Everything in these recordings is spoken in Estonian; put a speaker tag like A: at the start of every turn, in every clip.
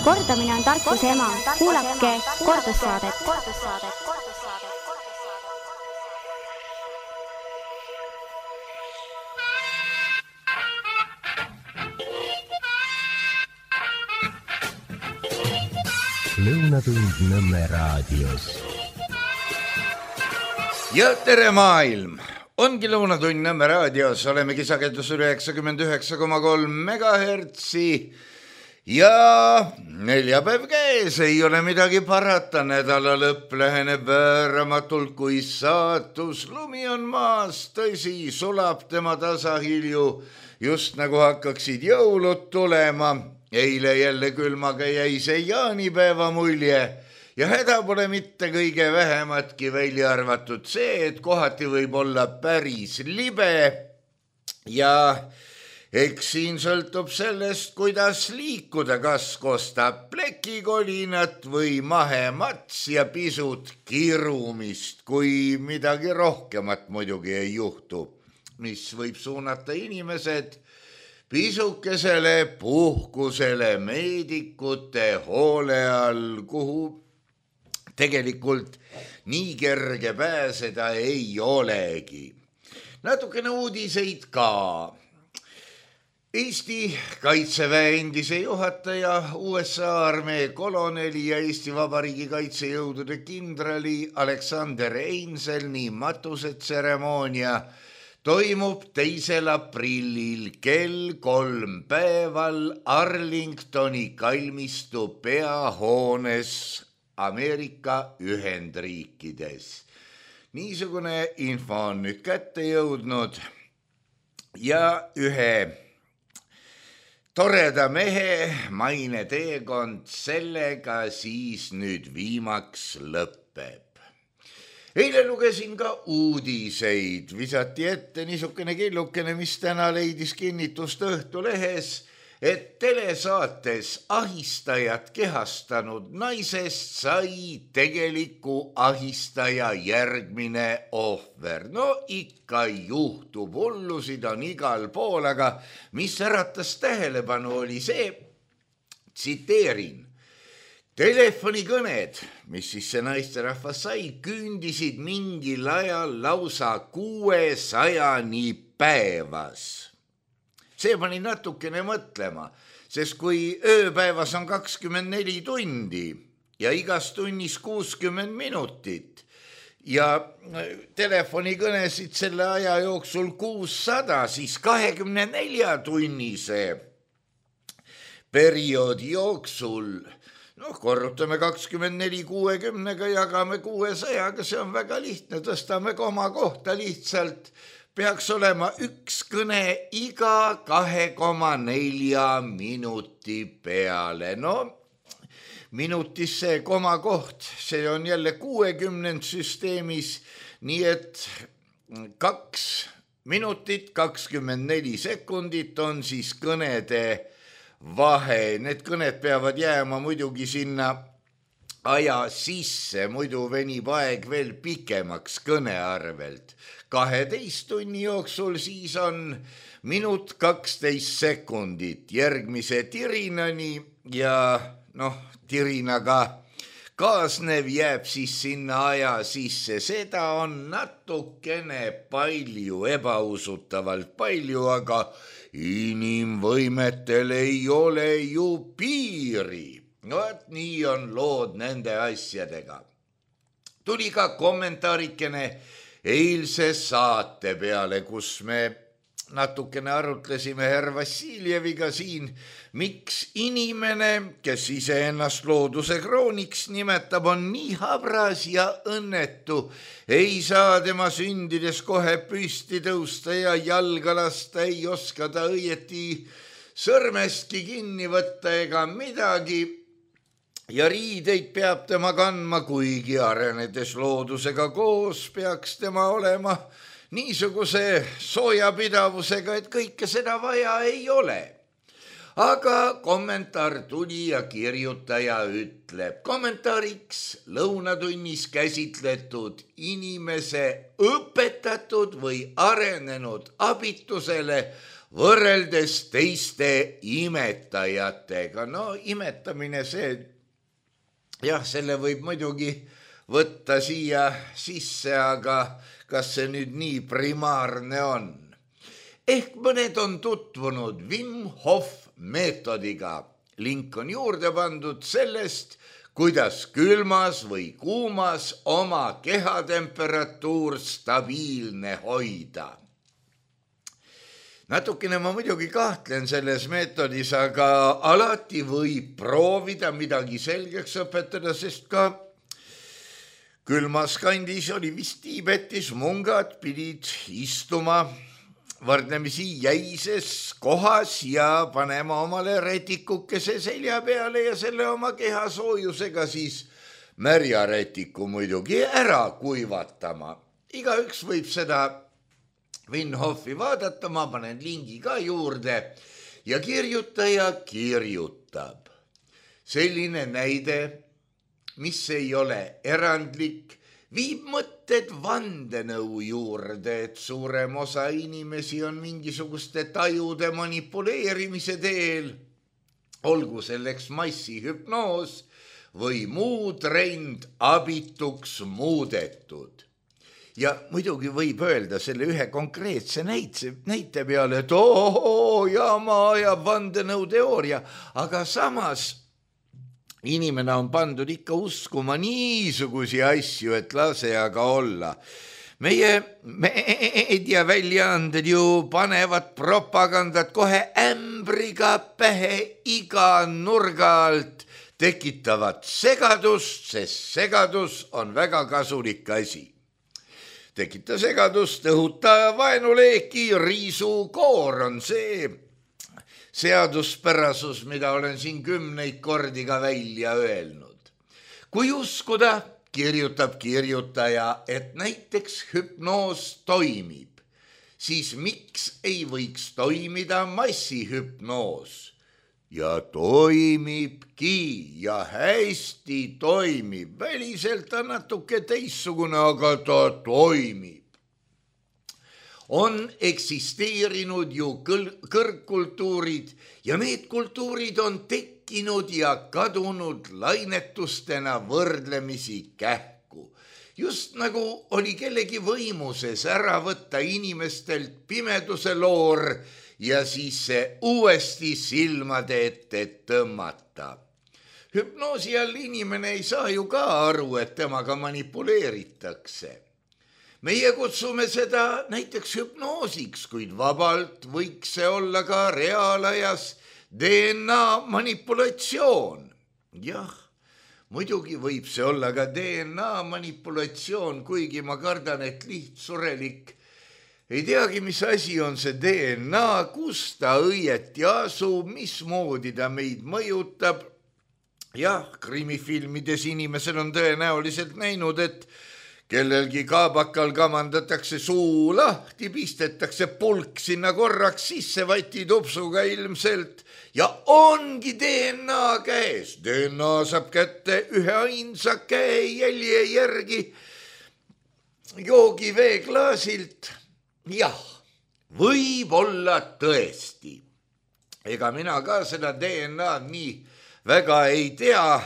A: Kordamine on tarkuse ema. Kuulake kordussaadet.
B: Lõunatund Nõmme raadios.
C: Ja tere maailm! Ongi Lõunatund Nõmme raadios. Oleme kisakendus 99,3 megahertsi ja neljapäev käes. Ei ole midagi parata. Nädala lõpp läheneb vääramatult kui saatus. Lumi on maas, tõsi, sulab tema tasahilju, just nagu hakkaksid jõulud tulema. Eile jälle külmaga jäi see jaanipäeva mulje ja häda pole mitte kõige vähematki välja arvatud see, et kohati võib olla päris libe ja eks siin sõltub sellest, kuidas liikuda, kas kostab plekikolinat või mahemats ja pisut kirumist, kui midagi rohkemat muidugi ei juhtu, mis võib suunata inimesed pisukesele puhkusele meedikute hoole all, kuhu tegelikult nii kerge pääseda ei olegi. Natukene uudiseid ka. Eesti Kaitseväe endise juhataja, USA armee koloneli ja Eesti Vabariigi kaitsejõudude kindrali Alexander Einselni matusetseremoonia toimub 2. aprillil kell 3 päeval Arlingtoni kalmistu peahoones Ameerika Ühendriikides. Niisugune info on nüüd kätte jõudnud ja ühe toreda mehe maine teekond sellega siis nüüd viimaks lõpeb. Eile lugesin ka uudiseid, visati ette niisugune killukene, mis täna leidis kinnitust Õhtulehes, et telesaates ahistajat kehastanud naisest sai tegeliku ahistaja järgmine ohver. No ikka juhtub, hullusid on igal pool, aga mis äratas tähelepanu oli see, tsiteerin, telefonikõned, mis siis see naisterahvas sai, küündisid mingil ajal lausa 600 päevas. See pani natukene mõtlema, sest kui ööpäevas on 24 tundi ja igas tunnis 60 minutit ja telefonikõnesid selle aja jooksul 600, siis 24 tunnise perioodi jooksul korrutame 24 60-ga, jagame 600-ga, see on väga lihtne, tõstame koma kohta lihtsalt, peaks olema üks kõne iga 2,4 minuti peale. No, minutis see koma koht, see on jälle 60 süsteemis, nii et 2 minutit 24 sekundit on siis kõnede vahe. Need kõned peavad jääma muidugi sinna aja sisse, muidu venib aeg veel pikemaks kõne arvelt. 12 tunni jooksul siis on minut 12 sekundit järgmise tirinani ja tirinaga kaasnev jääb siis sinna aja sisse. Seda on natukene palju, ebausutavalt palju, aga inimvõimetel ei ole ju piiri. Et nii on lood nende asjadega. Tuli ka kommentaarikene eilse saate peale, kus me natukene arutlesime herr Vassiljeviga siin, miks inimene, kes iseennast looduse krooniks nimetab, on nii habras ja õnnetu. Ei saa tema sündides kohe püsti tõusta ja jalga lasta, ei oska ta õieti sõrmestki kinni võtta ega midagi. Ja riideid peab tema kandma, kuigi arenedes loodusega koos peaks tema olema niisuguse soojapidavusega, et kõike seda vaja ei ole. Aga kommentaar tuli ja kirjutaja ütleb, kommentaariks lõunatunnis käsitletud inimese õpetatud või arenenud abitusele võrreldes teiste imetajatega. No imetamine see, jah, selle võib muidugi võtta siia sisse, aga kas see nüüd nii primaarne on? Ehk mõned on tutvunud Wim Hof meetodiga. Link on juurde pandud sellest, kuidas külmas või kuumas oma kehatemperatuur stabiilne hoida. Natukene ma muidugi kahtlen selles meetodis, aga alati võib proovida midagi selgeks õpetada, sest ka külmas kandis oli vist Tiibetis mungad pidid istuma võrdlemisi jäises kohas ja panema omale retikukese selja peale ja selle oma keha soojusega siis märja retiku muidugi ära kuivatama. Igaüks võib seda Wim Hofi vaadata, ma panen lingi ka juurde ja kirjutaja kirjutab. Selline näide, mis ei ole erandlik, viib mõtted vandenõu juurde, et suurem osa inimesi on mingisuguste tajude manipuleerimise teel, olgu selleks massihüpnoos või muu trend abituks muudetud. Ja muidugi võib öelda selle ühe konkreetse näite peale, et jama ajab vandenõuteooria, aga samas inimene on pandud ikka uskuma niisugusi asju, et lase aga olla. Meie meediaväljaanded ju panevad propagandat kohe ämbriga pähe iga nurga alt, tekitavad segadust, sest segadus on väga kasulik asi. Tekita segadust, õhuta vaenuleeki, riisu koor on see seaduspärasus, mida olen siin 10 kordi ka välja öelnud. Kui uskuda, kirjutab kirjutaja, et näiteks hüpnoos toimib, siis miks ei võiks toimida massihüpnoos? Ja toimibki ja hästi toimib. Väliselt on natuke teissugune, aga ta toimib. On eksisteerinud ju kõrgkultuurid ja need kultuurid on tekkinud ja kadunud lainetustena võrdlemisi kähku. Just nagu oli kellegi võimuses ära võtta inimestelt pimeduse loor ja siis see uuesti silmade ette tõmmata. Hüpnoosi all inimene ei saa ju ka aru, et temaga manipuleeritakse. Meie kutsume seda näiteks hüpnoosiks, kuid vabalt võiks see olla ka reaalajas DNA manipulatsioon. Jah, muidugi võib see olla ka DNA manipulatsioon, kuigi ma kardan, et lihtsurelik ei teagi, mis asi on see DNA, kus ta õieti asub, mismoodi ta meid mõjutab. Jah, krimifilmides inimesed on tõenäoliselt näinud, et kellelgi kaabakal kamandatakse suu lahti, pistetakse pulk sinna korraks sisse vatitupsuga ilmselt ja ongi DNA käes. DNA saab kätte ühe ainsa käejälje järgi joogiveeklaasilt. Jah, võib olla tõesti. Ega mina ka seda DNA-d nii väga ei tea,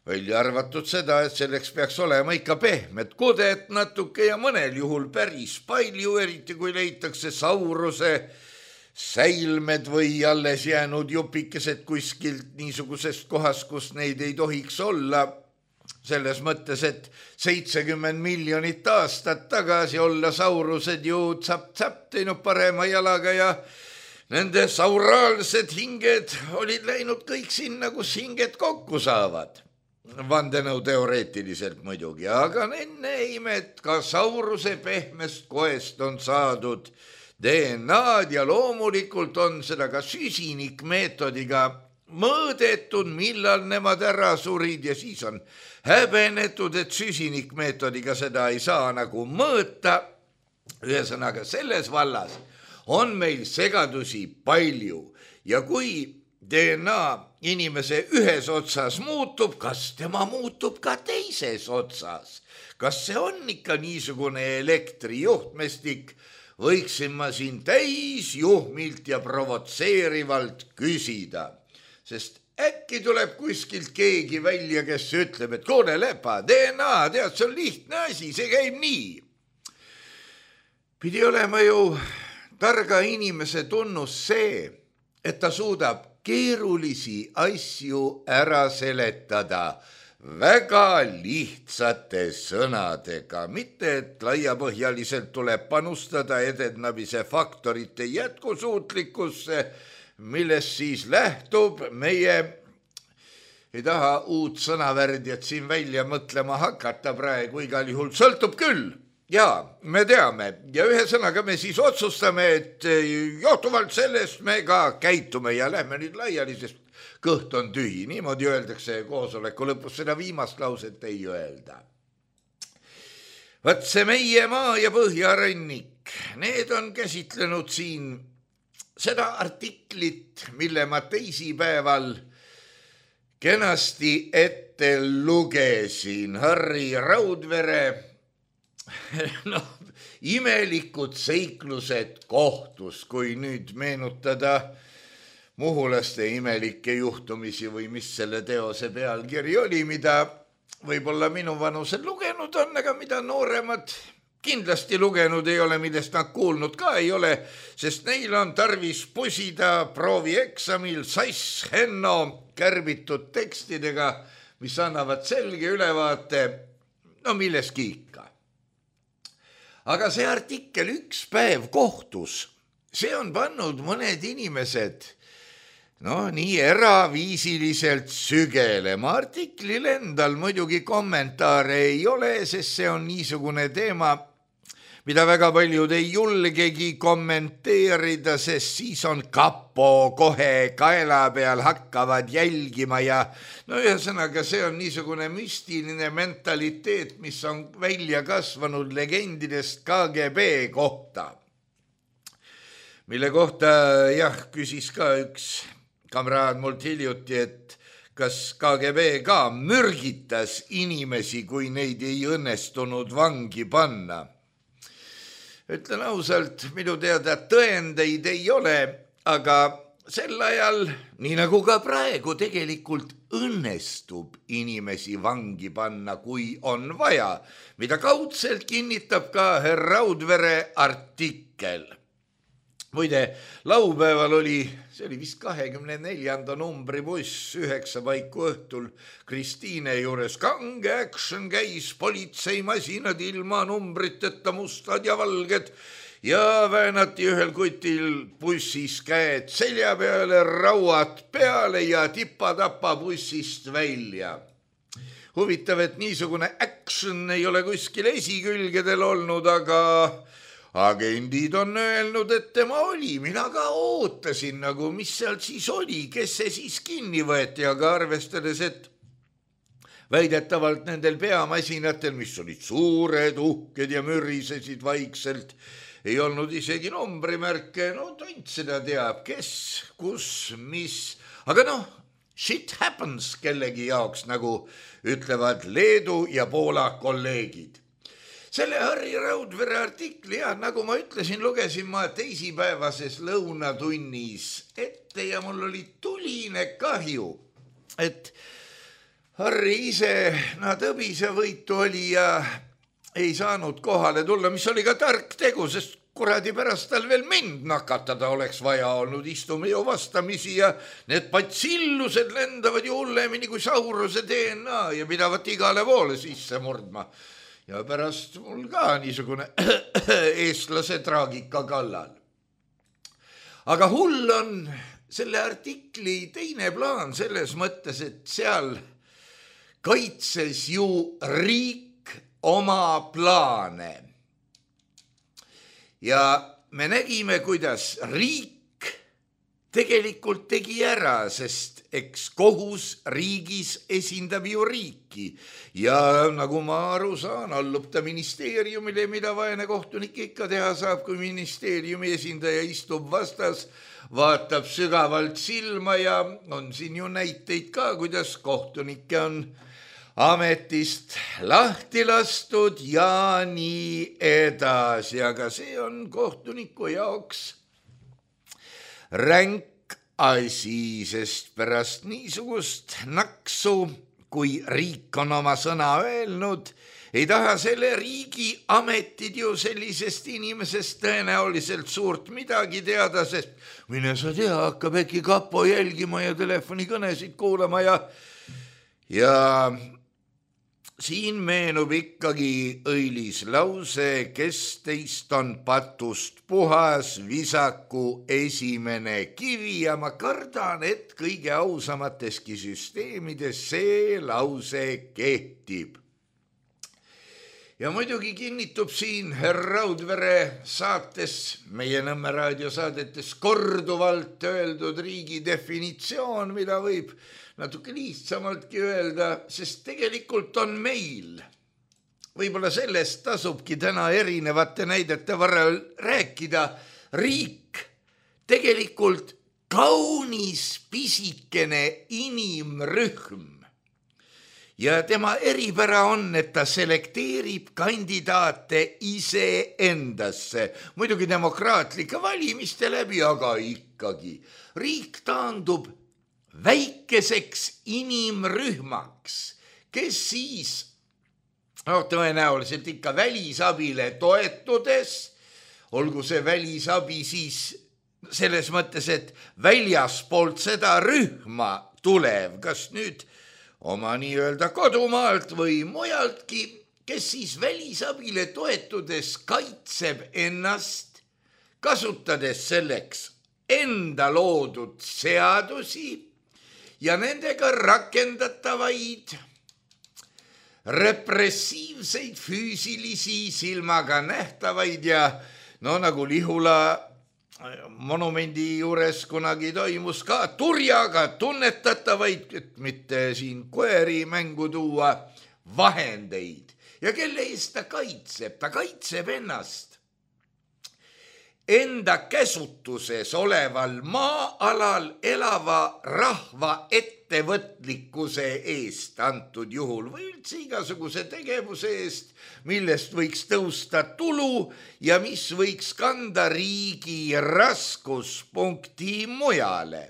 C: välja arvatud seda, et selleks peaks olema ikka pehmed kudet natuke ja mõnel juhul päris palju, eriti kui leitakse sauruse säilmed või alles jäänud jupikesed kuskilt niisugusest kohast, kus neid ei tohiks olla. Selles mõttes, et 70 miljonit aastat tagasi olla saurused ju tsapp-tsapp teinud parema jalaga ja nende sauraalsed hinged olid läinud kõik sinna, kus hinged kokku saavad. Vandenõuteoreetiliselt muidugi, aga enne imet ka sauruse pehmest koest on saadud DNA-d ja loomulikult on seda ka süsinikmeetodiga mõõdetud, millal nemad ära surid ja siis on häbenetud, et süsinikmeetodiga seda ei saa nagu mõõta. Ühesõnaga selles vallas on meil segadusi palju ja kui DNA inimese ühes otsas muutub, kas tema muutub ka teises otsas? Kas see on ikka niisugune elektrijuhtmestik võiksin ma siin täisjuhmilt ja provotseerivalt küsida, sest äkki tuleb kuskilt keegi välja, kes ütleb, et kuule Lepa, DNA, tead, see on lihtne asi, see käib nii. Pidi olema ju targa inimese tunnus see, et ta suudab keerulisi asju ära seletada väga lihtsate sõnadega, mitte et laiapõhjaliselt tuleb panustada edendamise faktorite jätkusuutlikkusse, millest siis lähtub meie, ei taha uut sõnavärdjat siin välja mõtlema hakata praegu, igal juhul sõltub küll. Jaa, me teame ja ühe sõnaga me siis otsustame, et johtuvalt sellest me ka käitume ja lähme nüüd laiali, sest kõht on tühi. Niimoodi öeldakse koosoleku lõpus, seda viimast lauset ei öelda. Vaat see meie maa ja põhjarannik, need on käsitlenud siin seda artiklit, mille ma teisipäeval kenasti ette lugesin. Harri Raudvere imelikud seiklused kohtus, kui nüüd meenutada muhulaste imelikke juhtumisi või mis selle teose pealkiri oli, mida võib-olla minu vanused lugenud on, aga mida nooremad kindlasti lugenud ei ole, millest nad kuulnud ka ei ole, sest neil on tarvis pusida proovieksamil sass Henno kärbitud tekstidega, mis annavad selge ülevaate, milleski ikka. Aga see artikkel Üks päev kohtus, see on pannud mõned inimesed nii eraviisiliselt sügelema. Artiklil endal muidugi kommentaare ei ole, sest see on niisugune teema, mida väga paljud ei julgegi kommenteerida, sest siis on kapo kohe kaela peal hakkavad jälgima ja ühesõnaga see on niisugune müstiline mentaliteet, mis on välja kasvanud legendidest KGB kohta, mille kohta küsis ka üks kamraad mult hiljuti, et kas KGB ka mürgitas inimesi, kui neid ei õnnestunud vangi panna. Ütlen ausalt, minu teada tõendeid ei ole, aga sel ajal, nii nagu ka praegu, tegelikult õnnestub inimesi vangi panna, kui on vaja, mida kaudselt kinnitab ka herr Raudvere artikkel. Muide, laupäeval oli, see oli vist 24. numbri buss 9 paiku õhtul Kristiine juures. Kange action käis, politseimasinad ilma numbriteta, mustad ja valged ja väänati ühel kutil bussis käed selja peale, rauad peale ja tipa-tapa bussist välja. Huvitav, et niisugune action ei ole kuskil esikülgedel olnud, aga agendid on öelnud, et tema oli. Mina ka ootasin, mis seal siis oli, kes see siis kinni võeti, aga arvestades, et väidetavalt nendel peamasinatel, mis olid suured, uhked ja mürisesid vaikselt, ei olnud isegi numbrimärke. Tont seda teab, kes, kus, mis. Aga shit happens kellegi jaoks, nagu ütlevad Leedu ja Poola kolleegid. Selle Harri Raudvere artikli, nagu ma ütlesin, lugesin ma teisipäevases lõunatunnis ette ja mul oli tuline kahju, et Harri ise tõbisevõitu oli ja ei saanud kohale tulla, mis oli ka tark tegu, sest kuradi pärast tal veel mind nakatada oleks vaja olnud. Istume ju vastamisi ja need patsillused lendavad ju hullemini kui Sauruse DNA ja pidavat igale poole sisse murdma. Ja pärast mul ka niisugune eestlase traagika kallal. Aga hull on selle artikli teine plaan selles mõttes, et seal kaitses ju riik oma plaane. Ja me nägime, kuidas riik tegelikult tegi ära, sest eks kohus riigis esindab ju riiki ja nagu ma aru saan, allub ta ministeeriumile, mida vaene kohtunik ikka teha saab, kui ministeeriumi esindaja istub vastas, vaatab sügavalt silma ja on siin ju näiteid ka, kuidas kohtunikke on ametist lahti lastud ja nii edasi, aga see on kohtuniku jaoks ränk asi, sest pärast niisugust naksu, kui riik on oma sõna öelnud, ei taha selle riigi ametid ju sellisest inimesest tõenäoliselt suurt midagi teada, sest mine sa tea, hakkab äkki kapo jälgima ja telefonikõnesid kuulama ja siin meenub ikkagi õilis lause, kes teist on patust puhas, visaku esimene kivi ja ma kardan, et kõige ausamateski süsteemides see lause kehtib. Ja muidugi kinnitub siin Raudvere saates, meie Nõmme raadiosaadetes korduvalt öeldud riigi definitsioon, mida võib natuke lihtsamaltki öelda, sest tegelikult on meil. Võib-olla sellest tasubki täna erinevate näidete varal rääkida. Riik tegelikult kaunis pisikene inimrühm. Ja tema eripära on, et ta selekteerib kandidaate ise endasse. Muidugi demokraatlike valimiste läbi, aga ikkagi. Riik taandub väikeseks inimrühmaks, kes siis tõenäoliselt ikka välisabile toetudes, olgu see välisabi siis selles mõttes, et väljaspoolt seda rühma tulev, kas nüüd oma nii-öelda kodumaalt või mujaltki, kes siis välisabile toetudes kaitseb ennast, kasutades selleks enda loodud seadusi ja nendega rakendatavaid repressiivseid füüsilisi silmaga nähtavaid ja nagu Lihula monumendi juures kunagi toimus ka turjaga tunnetatavaid, et mitte siin koeri mängu tuua, vahendeid. Ja kelle eest ta kaitseb? Ta kaitseb ennast enda käsutuses oleval maa-alal elava rahva ettevõtlikkuse eest antud juhul või üldse igasuguse tegevuse eest, millest võiks tõusta tulu ja mis võiks kanda riigi raskuspunkti mujale.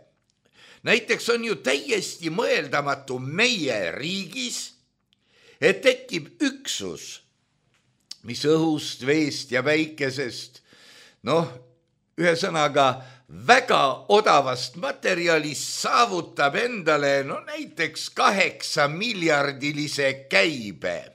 C: Näiteks on ju täiesti mõeldamatu meie riigis, et tekib üksus, mis õhust, veest ja päikesest, ühesõnaga väga odavast materjalist saavutab endale näiteks 8-miljardilise käibe.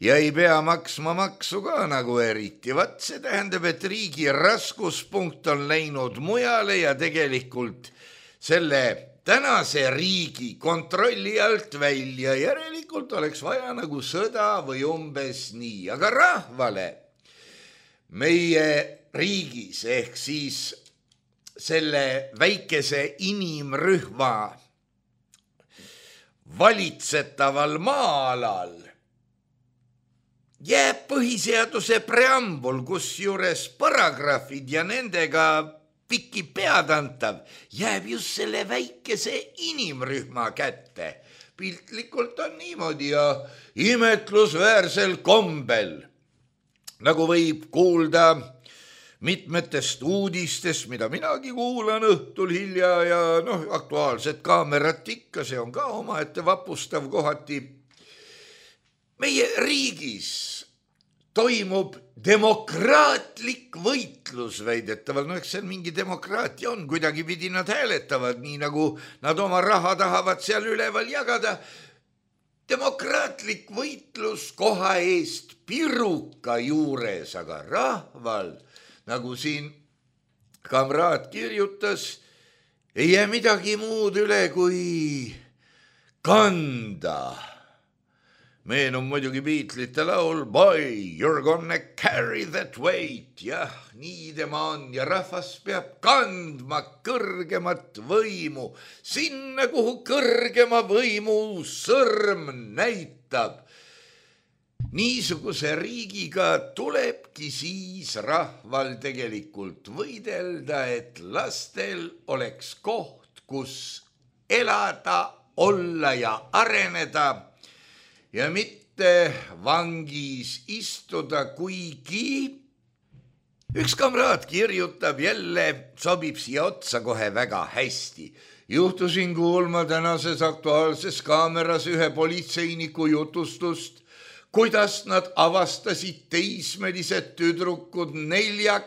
C: Ja ei pea maksma maksu ka nagu eriti. Vat see tähendab, et riigi raskuspunkt on läinud mujale ja tegelikult selle tänase riigi kontrolli alt välja. Järelikult oleks vaja nagu sõda või umbes nii, aga rahvale meie riigis ehk siis selle väikese inimrühma valitsetaval maa-alal jääb põhiseaduse preambul, kus juures paragrahvid ja nendega pikki peadantav jääb just selle väikese inimrühma kätte. Piltlikult on niimoodi ja imetlusväärsel kombel, nagu võib kuulda mitmetest uudistest, mida minagi kuulan õhtul hilja ja aktuaalset kaamerat ikka, see on ka omaette vapustav kohati. Meie riigis toimub demokraatlik võitlus väidetaval, eks see mingi demokraatia on, kuidagi pidi nad hääletavad, nii nagu nad oma raha tahavad seal üleval jagada. Demokraatlik võitlus koha eest piruka juures, aga rahval, nagu siin kamraad kirjutas, ei jää midagi muud üle kui kanda. Meenub muidugi Beatlesite laul Boy, you're gonna carry that weight. Jah, nii tema on ja rahvas peab kandma kõrgemat võimu, sinna kuhu kõrgema võimu sõrm näitab. Niisuguse riigiga tulebki siis rahval tegelikult võidelda, et lastel oleks koht, kus elada olla ja areneda ja mitte vangis istuda, kuigi üks kamraad kirjutab jälle, sobib siia otsa kohe väga hästi. Juhtusin kuulma tänases Aktuaalses Kaameras ühe politseiniku jutustust, kuidas nad avastasid teismelised tüdrukud 4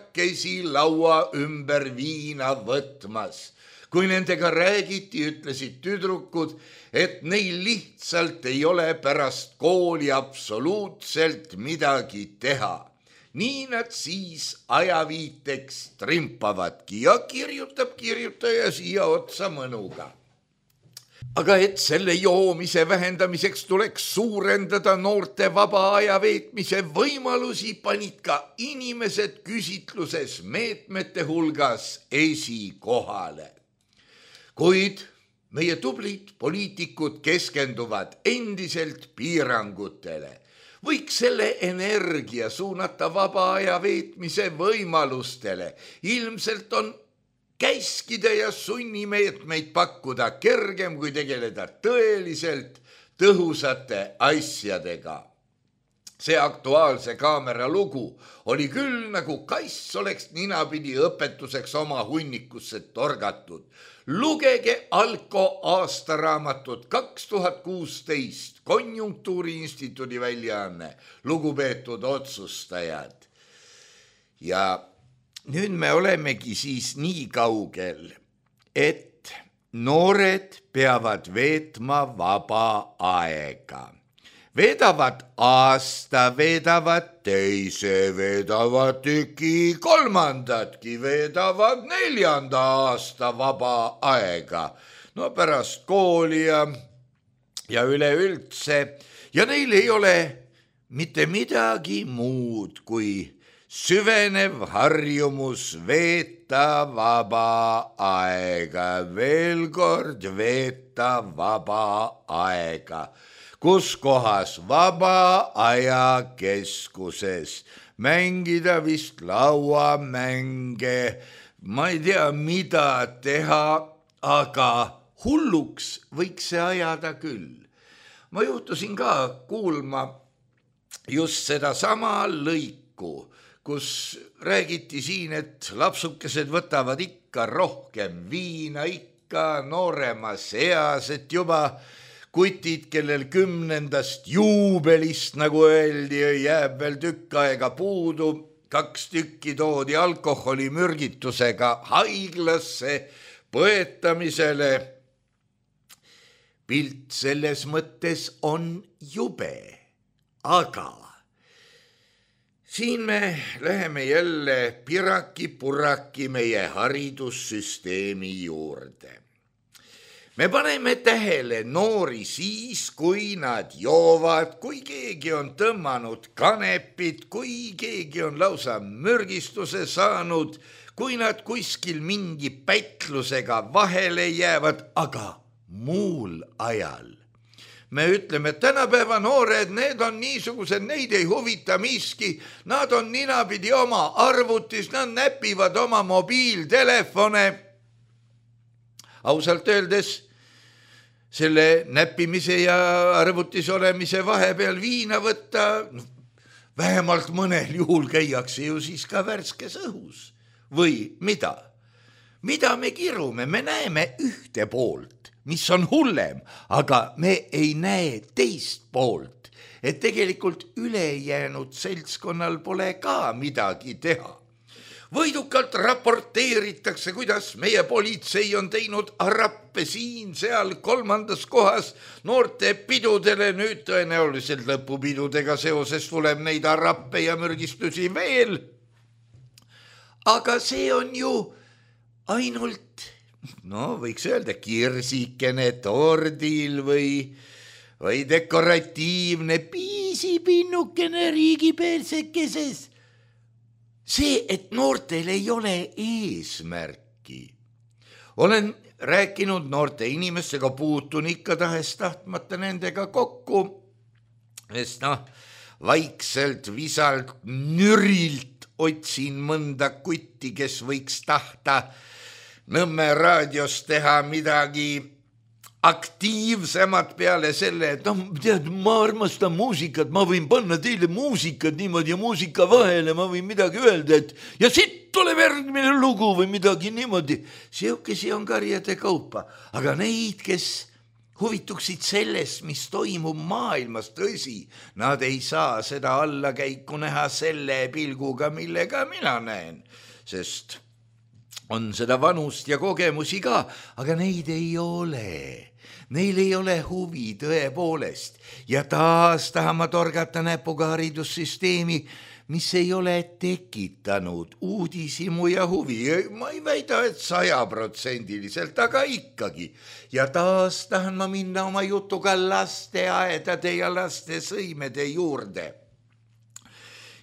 C: laua ümber viina võtmas. Kui nendega räägiti, ütlesid tüdrukud, et neil lihtsalt ei ole pärast kooli absoluutselt midagi teha. Nii nad siis ajaviiteks trimpavadki ja kirjutab kirjutaja siia otsa mõnuga. Aga et selle joomise vähendamiseks tuleks suurendada noorte vaba aja veetmise võimalusi, panid ka inimesed küsitluses meetmete hulgas esikohale. Kuid meie tublid poliitikud keskenduvad endiselt piirangutele. Võiks selle energia suunata vaba aja veetmise võimalustele. Ilmselt on käskida ja sunnimeetmeid pakkuda kergem, kui tegeleda tõeliselt tõhusate asjadega. See Aktuaalse Kaamera lugu oli küll nagu kass oleks ninapidi õpetuseks oma hunnikusse torgatud. Lugege Alko aastaraamatut 2016, Konjunktuuriinstituudi väljaanne, lugupeetud otsustajad. Ja nüüd me olemegi siis nii kaugel, et noored peavad veetma vaba aega. Veedavad aasta, veedavad teise, veedavad tüki kolmandatki, veedavad 4. aasta vaba aega. No pärast kooli ja üleüldse. Ja neil ei ole mitte midagi muud kui süvenev harjumus veeta vaba aega. Veel kord veeta vaba aega. Kus kohas? Vaba aja keskuses. Mängida vist lauamänge, ma ei tea, mida teha, aga hulluks võiks see ajada küll. Ma juhtusin ka kuulma just seda sama lõiku, kus räägiti siin, et lapsukesed võtavad ikka rohkem viina, ikka nooremas eas, et juba kutid, kellel 10. juubelist, nagu öeldi, jääb veel tükk aega puudu. 2 tükki toodi alkoholimürgitusega haiglasse põetamisele. Pilt selles mõttes on jube, aga siin me läheme jälle piraki-puraki meie haridussüsteemi juurde. Me paneme tähele noori siis, kui nad joovad, kui keegi on tõmmanud kanepit, kui keegi on lausa mürgistuse saanud, kui nad kuskil mingi pätlusega vahele jäävad, aga muul ajal. Me ütleme, et tänapäeva noored, need on niisugused, neid ei huvita miski, nad on ninapidi oma arvutis, nad näpivad oma mobiiltelefone. Ausalt öeldes, selle näppimise ja arvutis olemise vahepeal viina võtta, vähemalt mõnel juhul käiakse ju siis ka värskes õhus. Või mida? Mida me kirume? Me näeme ühte poolt, mis on hullem, aga me ei näe teist poolt, et tegelikult ülejäänud seltskonnal pole ka midagi teha. Võidukalt raporteeritakse, kuidas meie politsei on teinud arappe siin, seal 3. kohas noorte pidudele. Nüüd tõenäoliselt lõpupidudega seoses tuleb neid arappe ja mürgistusi veel. Aga see on ju ainult, võiks öelda, kirsikene tordil või dekoratiivne piisipinnukene riigipersekeses. See, et noortel ei ole eesmärki. Olen rääkinud noorte inimestega, puutun ikka tahes-tahtmata nendega kokku, sest vaikselt, visalt, nürilt otsin mõnda kutti, kes võiks tahta Nõmme raadios teha midagi aktiivsemad peale selle, et noh, tead, ma armastan muusikat, ma võin panna teile muusikat niimoodi ja muusika vahele ma võin midagi öelda, et ja siit tuleb järgmine lugu või midagi niimoodi. Siukesi on karjade kaupa, aga neid, kes huvituksid sellest, mis toimub maailmas, tõsi, nad ei saa seda allakäiku näha selle pilguga, millega mina näen, sest on seda vanust ja kogemusi ka, aga neid ei ole. Neil ei ole huvi tõepoolest ja taas tahan ma torgata näpuga haridussüsteemi, mis ei ole tekitanud uudishimu ja huvi. Ma ei väida, et 100%, aga ikkagi. Ja taas tahan ma minna oma jutuga lasteaedade ja laste sõimede juurde.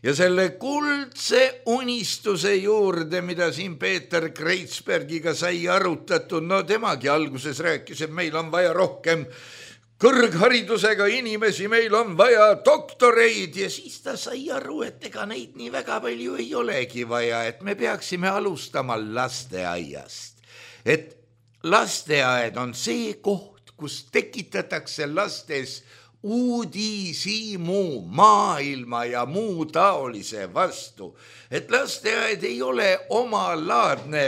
C: Ja selle kuldse unistuse juurde, mida siin Peeter Kreitsbergiga sai arutatud, no temagi alguses rääkis, et meil on vaja rohkem kõrgharidusega inimesi, meil on vaja doktoreid ja siis ta sai aru, et ega neid nii väga palju ei olegi vaja, et me peaksime alustama lasteaiast. Et lasteaed on see koht, kus tekitatakse lastes uudishimu maailma ja muu taolise vastu. Et lasteaed ei ole omalaadne,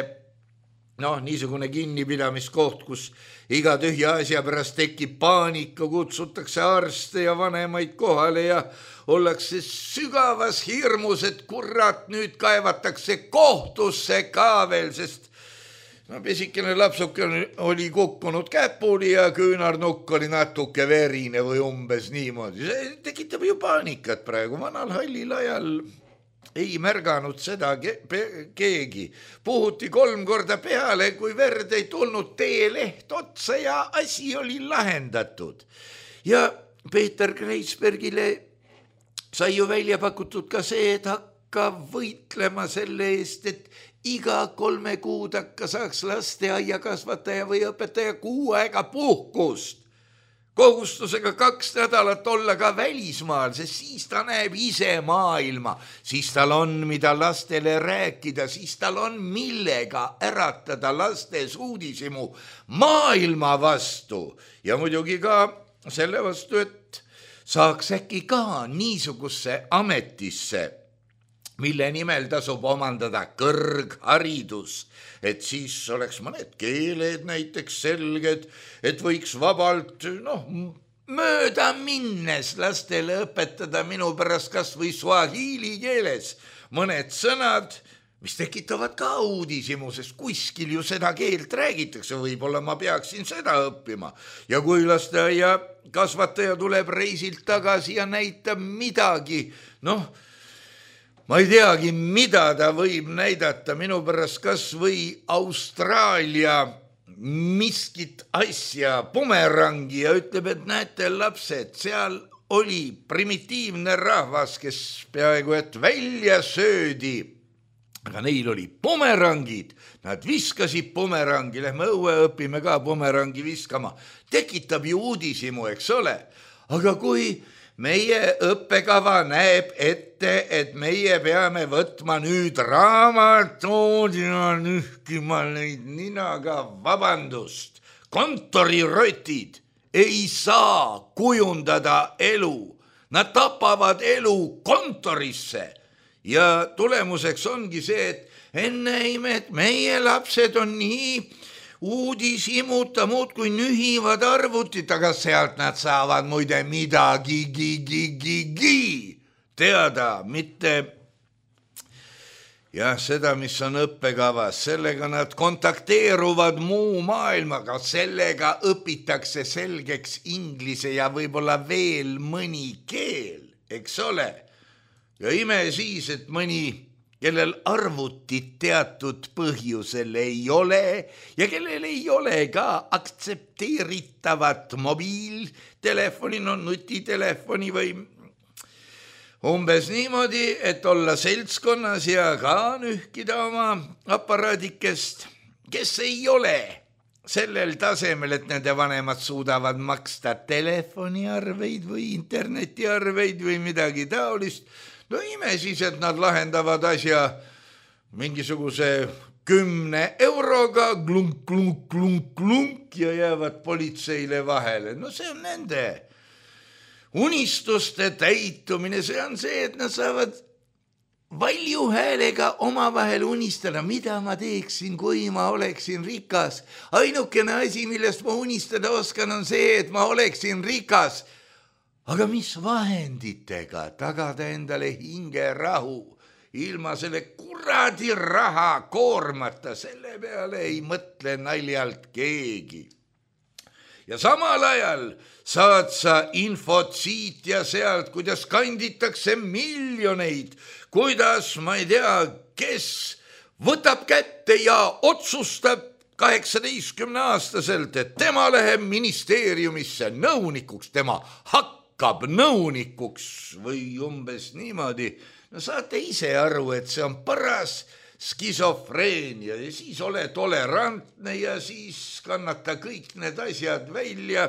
C: niisugune kinnipidamiskoht, kus iga tühja asja pärast tekib paanika, kutsutakse arste ja vanemaid kohale ja ollakse sügavas hirmus, et kurat, nüüd kaevatakse kohtusse ka veel, sest pisikene lapsuke oli kukkunud käpuli ja küünarnukk oli natuke verine või umbes niimoodi. See tekitab ju paanikat praegu. Vanal hallil ajal ei märganud seda keegi. Puhuti 3 korda peale, kui verd ei tulnud teeleht otsa ja asi oli lahendatud. Ja Peeter Kreitsbergile sai ju välja pakutud ka see, et hakka võitlema selle eest, et iga 3 kuud hakka saaks lasteaia kasvataja või õpetaja 6 aega puhkust. Kohustusega 2 nädalat olla ka välismaal, sest siis ta näeb ise maailma, siis tal on, mida lastele rääkida, siis tal on millega äratada lastes uudishimu maailma vastu ja muidugi ka selle vastu, et saaks äkki ka niisugusse ametisse, mille nimel tasub omandada kõrgharidus, et siis oleks mõned keeled näiteks selged, et võiks vabalt, mööda minnes lastele õpetada minu pärast kas või swahili keeles mõned sõnad, mis tekitavad ka uudishimu, sest kuskil ju seda keelt räägitakse, võib-olla ma peaksin seda õppima. Ja kui lasteaia kasvataja tuleb reisilt tagasi ja näitab midagi, ma ei teagi, mida ta võib näidata minu pärast kas või Austraalia miskit asja, bumerangi ja ütleb, et näete lapsed, seal oli primitiivne rahvas, kes peaaegu et välja söödi, aga neil oli bumerangid, nad viskasid bumerangi, lähme õue õpime ka bumerangi viskama, tekitab ju uudishimu, eks ole, aga kui meie õppekava näeb ette, et meie peame võtma nüüd raamatood ja nühkima neid ninaga, vabandust, kontorirotid ei saa kujundada elu. Nad tapavad elu kontorisse ja tulemuseks ongi see, et enne imet meie lapsed on nii uudishimuta muudkui nühivad arvutit, aga sealt nad saavad muide midagi teada, mitte seda, mis on õppekavas, sellega nad kontakteeruvad muu maailmaga, sellega õpitakse selgeks inglise ja võib-olla veel mõni keel, eks ole. Ja ime siis, et mõni, kellel arvutit teatud põhjusel ei ole ja kellel ei ole ka aktsepteeritavat mobiiltelefoni, nutitelefoni või umbes niimoodi, et olla seltskonnas ja ka nühkida oma aparaadikest, kes ei ole sellel tasemel, et nende vanemad suudavad maksta telefoniarveid või internetiarveid või midagi taolist. No ime siis, et nad lahendavad asja mingisuguse 10 euroga klunk, klunk, klunk, klunk ja jäävad politseile vahele. No see on nende unistuste täitumine, see on see, et nad saavad valju häälega omavahel unistada, mida ma teeksin, kui ma oleksin rikas. Ainukene asi, millest ma unistada oskan, on see, et ma oleksin rikas. Aga mis vahenditega tagada endale hingerahu? Ilma selle kuradi raha koormata, selle peale ei mõtle naljalt keegi. Ja samal ajal saad sa infot siit ja sealt, kuidas kanditakse miljoneid, kuidas, ma ei tea, kes võtab kätte ja otsustab 18-aastaselt, et tema läheb ministeeriumisse nõunikuks, tema hakkab nõunikuks või umbes niimoodi. No saate ise aru, et see on paras skisofreenia ja siis ole tolerantne ja siis kannata kõik need asjad välja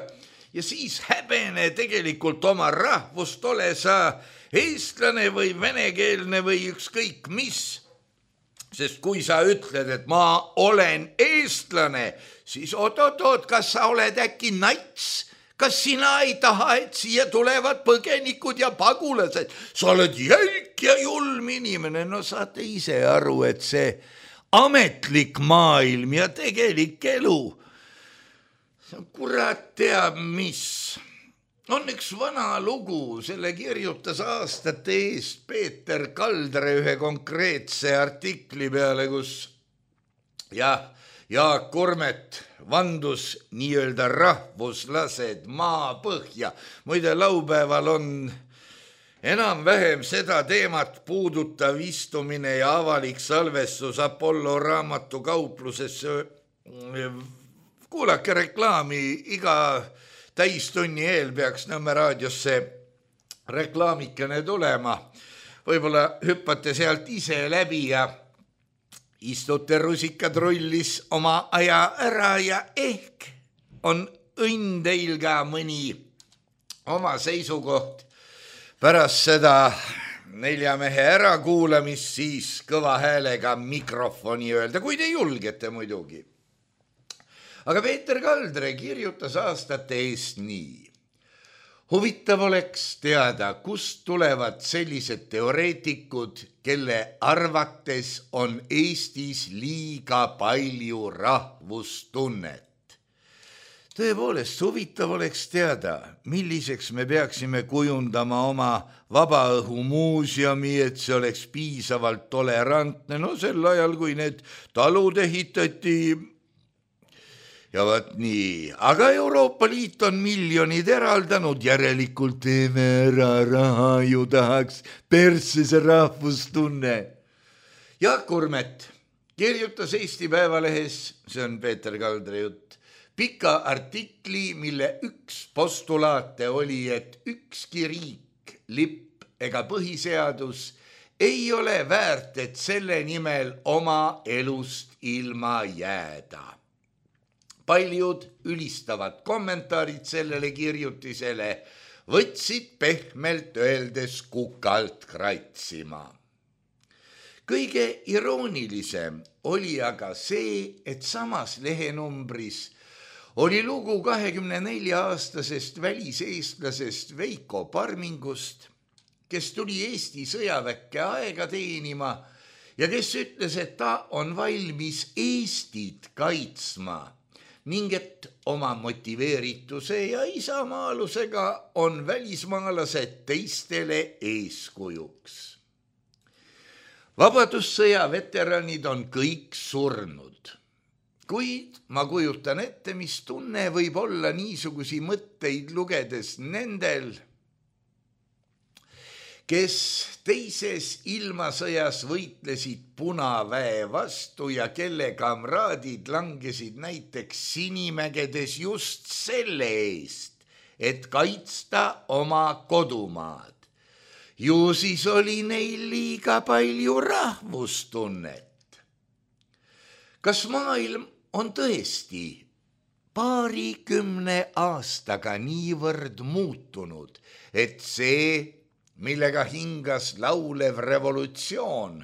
C: ja siis häbene tegelikult oma rahvust, ole sa eestlane või venekeelne või ükskõik mis. Sest kui sa ütled, et ma olen eestlane, siis oot, kas sa oled äkki nats? Kas sina ei taha, et siia tulevad põgenikud ja pagulased? Sa oled jälk ja julm inimene. No saate ise aru, et see ametlik maailm ja tegelik elu, see on kurat teab mis. On üks vana lugu, selle kirjutas aastate eest Peeter Kaldre ühe konkreetse artikli peale, kus Jaak Kurmet vandus nii-öelda rahvuslased maapõhja. Muide, laupäeval on enam-vähem seda teemat puudutav istumine ja avalik salvestus Apollo raamatukauplusesse. Kuulake reklaami, iga täistunni eel peaks Nõmme raadiosse reklaamikene tulema. Võib-olla hüppate sealt ise läbi ja istute rusikad rullis oma aja ära ja ehk on õnn teil ka mõni oma seisukoht pärast seda 4 mehe ärakuulamist siis kõva häälega mikrofoni öelda, kui te julgete muidugi. Aga Peeter Kaldre kirjutas aastate eest nii. Huvitav oleks teada, kust tulevad sellised teoreetikud, kelle arvates on Eestis liiga palju rahvustunnet. Tõepoolest, huvitav oleks teada, milliseks me peaksime kujundama oma vabaõhumuuseumi, et see oleks piisavalt tolerantne. No sel ajal, kui need talud ehitati. Ja vaat nii, aga Euroopa Liit on miljonid eraldanud, järelikult teeme ära raha ju tahaks persse see rahvustunne. Jaak Kurmet kirjutas Eesti Päevalehes, see on Peeter Kaldre jutt, pika artikli, mille üks postulaate oli, et ükski riik, lipp ega põhiseadus ei ole väärt, et selle nimel oma elust ilma jääda. Paljud ülistavad kommentaarid sellele kirjutisele võtsid pehmelt öeldes kukalt kratsima. Kõige iroonilisem oli aga see, et samas lehenumbris oli lugu 24-aastasest väliseestlasest Veiko Parmingust, kes tuli Eesti sõjaväkke aega teenima ja kes ütles, et ta on valmis Eestit kaitsma ning et oma motiveerituse ja isamaalusega on välismaalased teistele eeskujuks. Vabadussõja veteranid on kõik surnud, kuid ma kujutan ette, mis tunne võib olla niisugusi mõtteid lugedes nendel, kes teises ilmasõjas võitlesid Punaväe vastu ja kelle kamraadid langesid näiteks Sinimägedes just selle eest, et kaitsta oma kodumaad. Ju siis oli neil liiga palju rahvustunnet. Kas maailm on tõesti 20 aastaga niivõrd muutunud, et see, millega hingas laulev revolutsioon,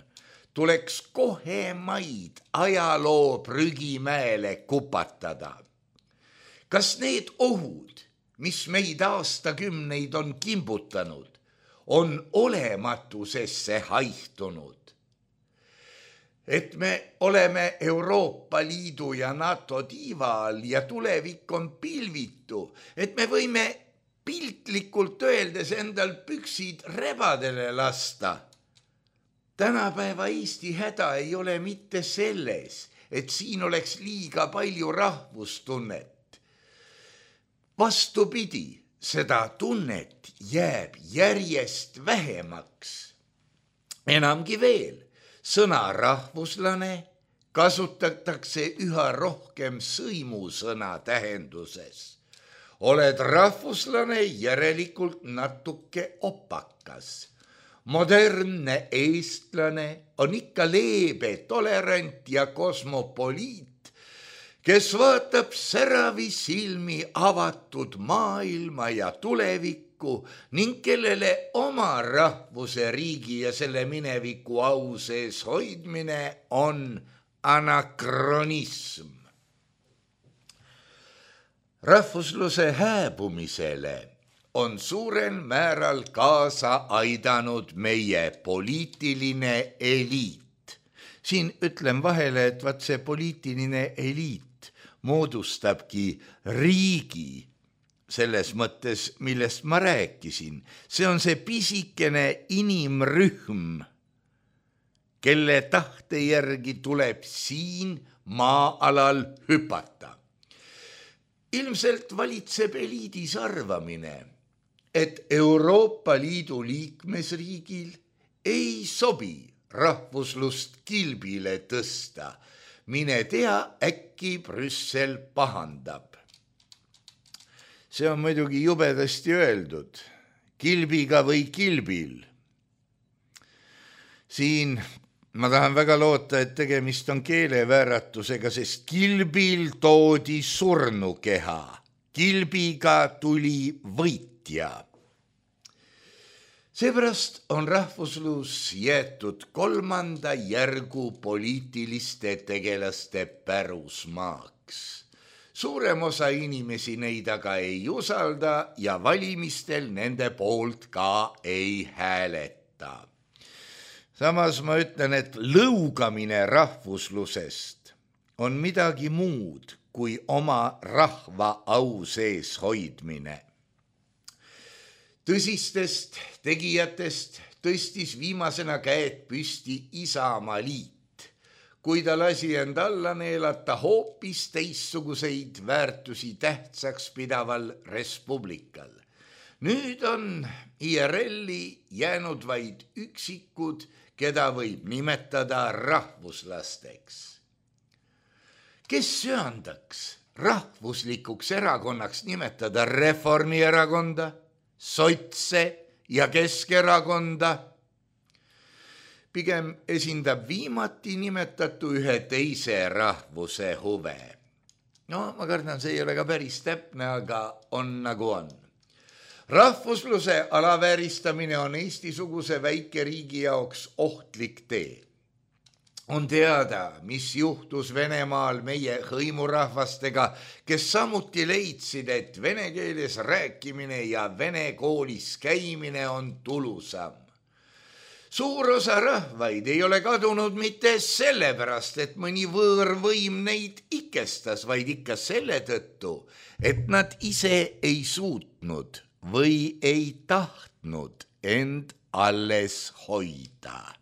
C: tuleks kohe maid ajaloo prügimäele kupatada. Kas need ohud, mis meid aastakümneid on kimbutanud, on olematusesse haihtunud? Et me oleme Euroopa Liidu ja NATO tiiva all ja tulevik on pilvitu, et me võime piltlikult öeldes endal püksid rebadele lasta. Tänapäeva Eesti häda ei ole mitte selles, et siin oleks liiga palju rahvustunnet. Vastupidi, seda tunnet jääb järjest vähemaks. Enamgi veel, sõna rahvuslane kasutatakse üha rohkem sõimusõna tähenduses. Oled rahvuslane, järelikult natuke opakas. Modernne eestlane on ikka leebe, tolerant ja kosmopoliit, kes vaatab säravi silmi avatud maailma ja tulevikku ning kellele oma rahvuse, riigi ja selle mineviku au sees hoidmine on anakronism. Rahvusluse hääbumisele on suurel määral kaasa aidanud meie poliitiline eliit. Siin ütlen vahele, et vaat see poliitiline eliit moodustabki riigi selles mõttes, millest ma rääkisin. See on see pisikene inimrühm, kelle tahte järgi tuleb siin maa-alal hüpata. Ilmselt valitseb eliidis arvamine, et Euroopa Liidu liikmesriigil ei sobi rahvuslust kilbile tõsta. Mine tea, äkki Brüssel pahandab. See on muidugi jubedasti öeldud, kilbiga või kilbil. Siin ma tahan väga loota, et tegemist on keelevääratusega, sest kilbil toodi surnukeha, kilbiga tuli võitja. Seepärast on rahvuslus jäetud 3. järgu poliitiliste tegelaste pärusmaaks. Suurem osa inimesi neid aga ei usalda ja valimistel nende poolt ka ei hääleta. Samas ma ütlen, et lõugamine rahvuslusest on midagi muud kui oma rahva au sees hoidmine. Tõsistest tegijatest tõstis viimasena käed püsti Isamaaliit, kui ta lasi end alla neelata hoopis teistsuguseid väärtusi tähtsaks pidaval respublikal. Nüüd on IRL-i jäänud vaid üksikud, keda võib nimetada rahvuslasteks. Kes söandaks rahvuslikuks erakonnaks nimetada Reformierakonda, Sotse ja Keskerakonda? Pigem esindab viimati nimetatu ühe teise rahvuse huve. No, ma kardan, see ei ole ka päris täpne, aga on nagu on. Rahvusluse alavääristamine on Eesti-suguse väikeriigi jaoks ohtlik tee. On teada, mis juhtus Venemaal meie hõimurahvastega, kes samuti leidsid, et vene keeles rääkimine ja vene koolis käimine on tulusam. Suur osa rahvaid ei ole kadunud mitte sellepärast, et mõni võõrvõim neid ikestas, vaid ikka selle tõttu, et nad ise ei suutnud või ei tahtnud end alles hoida.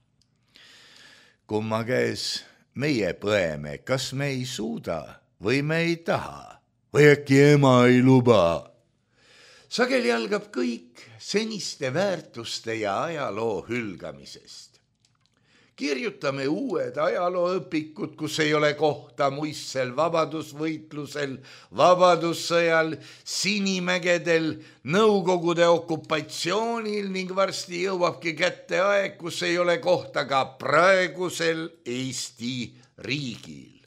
C: Kumma käes meie põeme, kas me ei suuda või me ei taha või äkki ema ei luba. Sageli algab kõik seniste väärtuste ja ajaloo hülgamisest. Kirjutame uued ajalooõpikud, kus ei ole kohta muistsel vabadusvõitlusel, vabadussõjal, Sinimägedel, Nõukogude okupatsioonil ning varsti jõuabki kätte aeg, kus ei ole kohta ka praegusel Eesti riigil.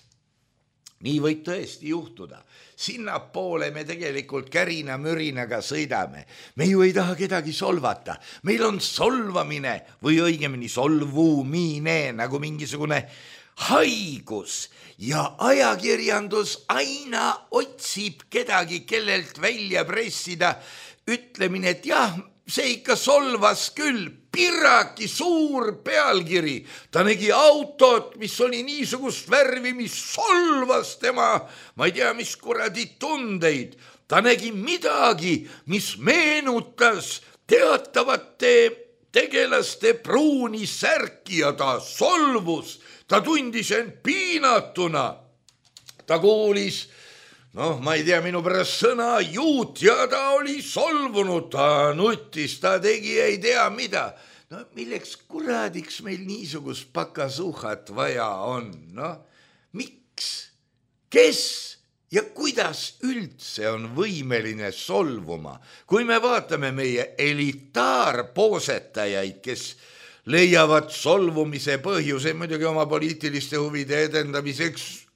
C: nii võib tõesti juhtuda. Sinnapoole me tegelikult kärina-mürinaga sõidame. Me ju ei taha kedagi solvata. Meil on solvamine või õigemini solvumine nagu mingisugune haigus ja ajakirjandus aina otsib kedagi, kellelt välja pressida ütlemine, et jah, see ikka solvas küll, Pirraki suur pealkiri. Ta nägi autot, mis oli niisugust värvi, mis solvas tema, ma ei tea, mis kuradi tundeid. Ta nägi midagi, mis meenutas teatavate tegelaste pruuni särki ja ta solvus. Ta tundis end piinatuna. Ta kuulis, ma ei tea, minu pärast sõna juut ja ta oli solvunud, ta nutis, ta tegi ei tea mida. Milleks kuradiks meil niisugust pakasuhat vaja on? Miks? Kes ja kuidas üldse on võimeline solvuma? Kui me vaatame meie elitaarpoosetajaid, kes leiavad solvumise põhjuse muidugi oma poliitiliste huvide edendamiseks,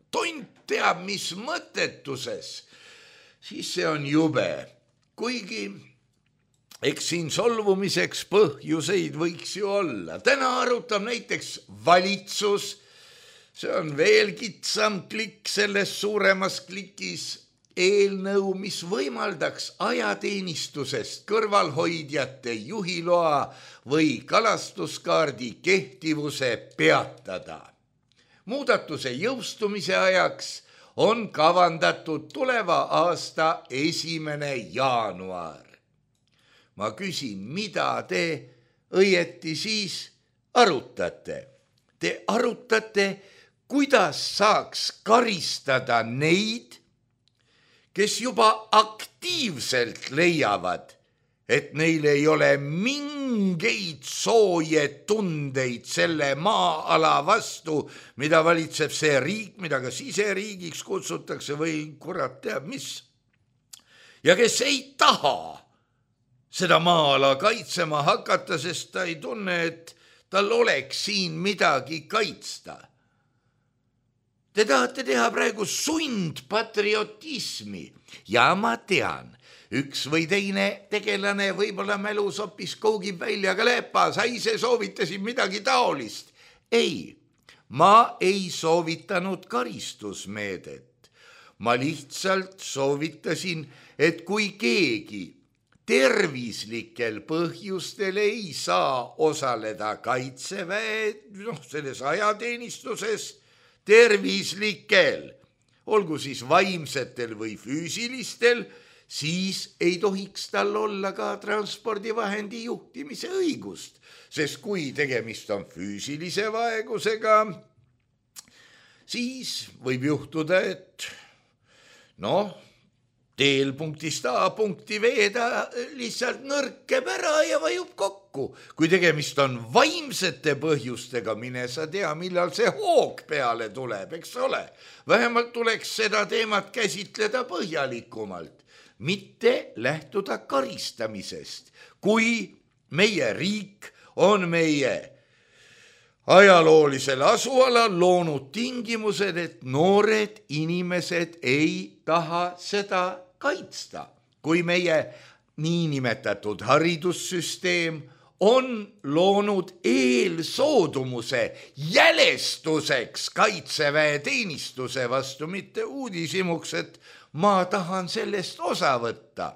C: tont teab mis mõttetuses, siis see on jube. Kuigi eks siin solvumiseks põhjuseid võiks ju olla. Täna arutab näiteks valitsus, see on veel kitsam klikk selles suuremas klikis, eelnõu, mis võimaldaks ajateenistusest kõrvalhoidjate juhiloa või kalastuskaardi kehtivuse peatada. Muudatuse jõustumise ajaks on kavandatud tuleva aasta 1. jaanuar. Ma küsin, mida te õieti siis arutate? Te arutate, kuidas saaks karistada neid, kes juba aktiivselt leiavad, et neil ei ole mingeid sooje tundeid selle maa-ala vastu, mida valitseb see riik, mida ka siseriigiks kutsutakse või kurat teab mis. Ja kes ei taha seda maa-ala kaitsema hakata, sest ta ei tunne, et tal oleks siin midagi kaitsta. Te tahate teha praegu sundpatriotismi ja ma tean, üks või teine tegelane võib-olla mälus hoopis koogib välja ka läpa, sa ise soovitasid midagi taolist. Ei, ma ei soovitanud karistusmeedet. Ma lihtsalt soovitasin, et kui keegi tervislikel põhjustel ei saa osaleda kaitseväe, selles ajateenistuses, tervislikel, olgu siis vaimsetel või füüsilistel, siis ei tohiks tal olla ka transpordivahendi juhtimise õigust, sest kui tegemist on füüsilise vaegusega, siis võib juhtuda, et teel punktist A punkti veeda lihtsalt nõrkeb ära ja vajub kokku. Kui tegemist on vaimsete põhjustega, mine sa tea, millal see hoog peale tuleb, eks ole. Vähemalt tuleks seda teemat käsitleda põhjalikumalt, mitte lähtuda karistamisest. Kui meie riik on meie ajaloolisel asualal loonud tingimused, et noored inimesed ei taha seda kaitsta. Kui meie niinimetatud haridussüsteem on loonud eelsoodumuse jälestuseks kaitseväeteenistuse vastu, mitte uudishimuks, et ma tahan sellest osa võtta.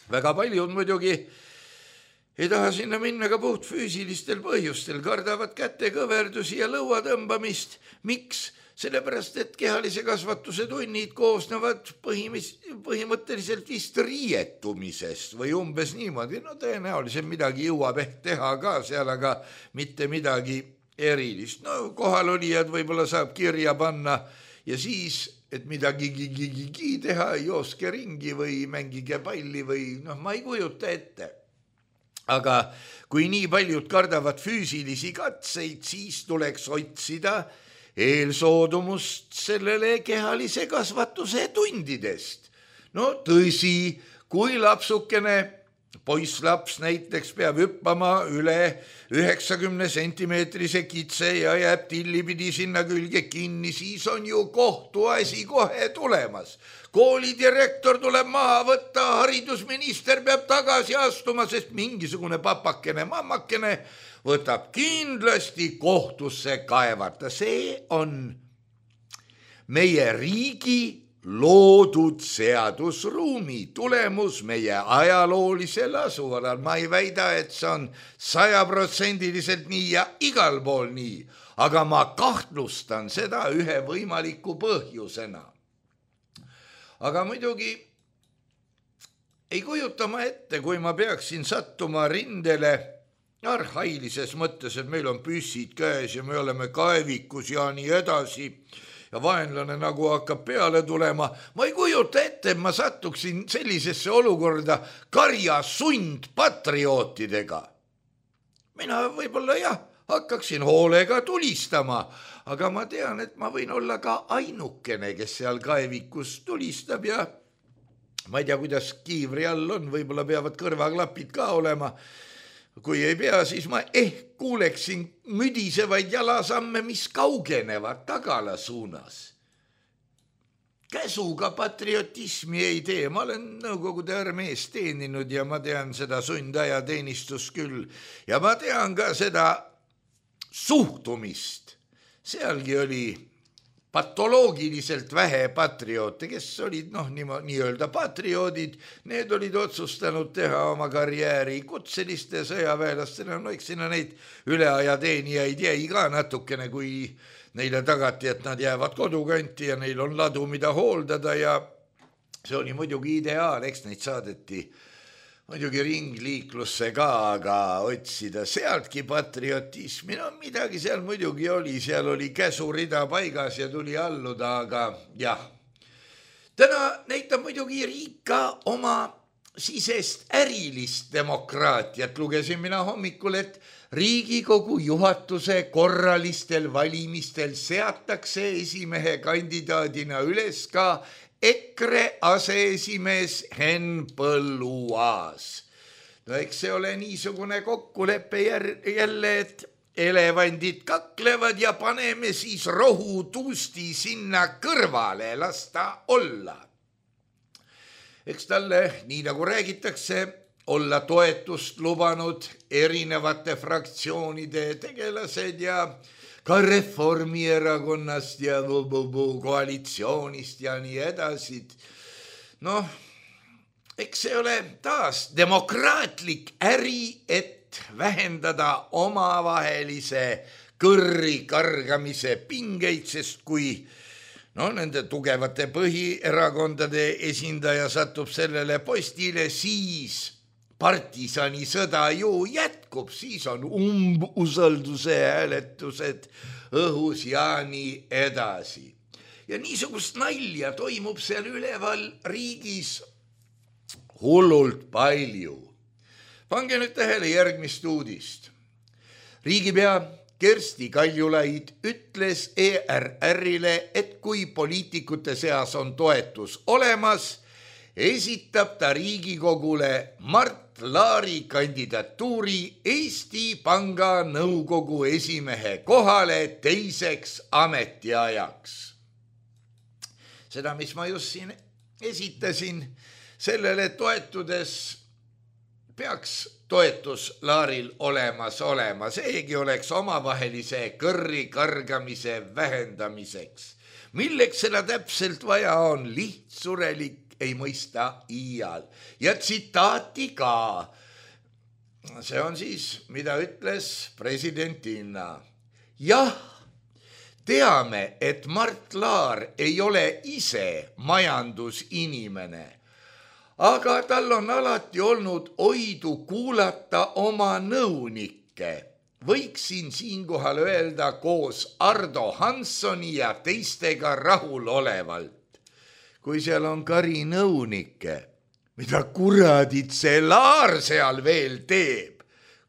C: Väga paljud muidugi ei taha sinna minna ka puht füüsilistel põhjustel, kardavad kätekõverdusi ja lõua tõmbamist. Miks? Sellepärast, et kehalise kasvatuse tunnid koosnevad põhimõtteliselt vist riietumisest või umbes niimoodi. Tõenäoliselt midagi jõuab ehk teha ka seal, aga mitte midagi erilist. Kohalolijad võib-olla saab kirja panna ja siis, et midagi teha, jooske ringi või mängige palli või ma ei kujuta ette. Aga kui nii paljud kardavad füüsilisi katseid, siis tuleks otsida eelsoodumust sellele kehalise kasvatuse tundidest. Tõsi, kui lapsukene poisslaps näiteks peab hüppama üle 90 sentimeetrise kitse ja jääb tillipidi sinna külge kinni, siis on ju kohtuasi kohe tulemas. Koolidirektor tuleb maha võtta, haridusminister peab tagasi astuma, sest mingisugune papakene, mammakene võtab kindlasti kohtusse kaevata. See on meie riigi loodud seadusruumi tulemus meie ajaloolisel asuvalal. Ma ei väida, et see on 100% nii ja igal pool nii, aga ma kahtlustan seda ühe võimaliku põhjusena. Aga muidugi ei kujuta ma ette, kui ma peaksin sattuma rindele arhailises mõttes, et meil on püssid käes ja me oleme kaevikus ja nii edasi, ja vaenlane nagu hakkab peale tulema. Ma ei kujuta ette, et ma sattuksin sellisesse olukorda karja sundpatriootidega. Mina võib-olla hakkaksin hoolega tulistama, aga ma tean, et ma võin olla ka ainukene, kes seal kaevikus tulistab ja ma ei tea, kuidas kiivri all on, võib-olla peavad kõrvaklapid ka olema. Kui ei pea, siis ma kuuleksin müdisevaid jalasamme, mis kaugenevad tagala suunas. Käsuga patriotismi ei tee. Ma olen Nõukogude armees teeninud ja ma tean seda sundajateenistust küll. Ja ma tean ka seda suhtumist. Sealgi oli patoloogiliselt vähe patrioote, kes olid nii-öelda patrioodid, need olid otsustanud teha oma karjääri kutseliste sõjaväelastena, eks sinna neid üleajateenijaid jäi ka natukene, kui neile tagati, et nad jäävad kodukanti ja neil on ladu, mida hooldada ja see oli muidugi ideaal, eks neid saadeti muidugi ringliiklusse ka, aga otsida sealtki patriotismi, midagi seal muidugi oli, seal oli käsurida paigas ja tuli alluda, aga jah. Täna näitab muidugi riik ka oma sisest ärilist demokraatiat. Lugesin mina hommikul, et Riigikogu juhatuse korralistel valimistel seatakse esimehe kandidaadina üles ka EKRE aseesimees Henn Põlluaas. No eks see ole niisugune kokkulepe jälle, et elevandid kaklevad ja paneme siis rohutuusti sinna kõrvale, las ta olla. Eks talle, nii nagu räägitakse, olla toetust lubanud erinevate fraktsioonide tegelased ja ka Reformierakonnast ja koalitsioonist ja nii edasi. Eks see ole taas demokraatlik äri, et vähendada omavahelise kõrri kargamise pingeid, sest kui nende tugevate põhierakondade esindaja satub sellele postile, siis partisani sõda ju jätkub, siis on umbusalduse hääletused õhus ja nii edasi. Ja niisugust nalja toimub seal üleval riigis hullult palju. Pange nüüd tähele järgmist uudist. Riigipea Kersti Kaljulaid ütles ERR-ile, et kui poliitikute seas on toetus olemas, esitab ta Riigikogule Mart Laari kandidatuuri Eesti Panga nõukogu esimehe kohale teiseks ametiajaks. Seda, mis ma just siin esitasin, sellele toetudes peaks toetus Laaril olemas olema. Seegi oleks omavahelise kõrri kargamise vähendamiseks. Milleks seda täpselt vaja on? Lihtsurelik ei mõista iial. Ja tsitaati ka. See on siis, mida ütles presidentina. Jah, teame, et Mart Laar ei ole ise majandusinimene, aga tal on alati olnud oidu kuulata oma nõunikke. Võiksin siinkohal öelda koos Ardo Hanssoni ja teistega rahulolevalt. Kui seal on kari nõunikke, mida kuradit see Laar seal veel teeb,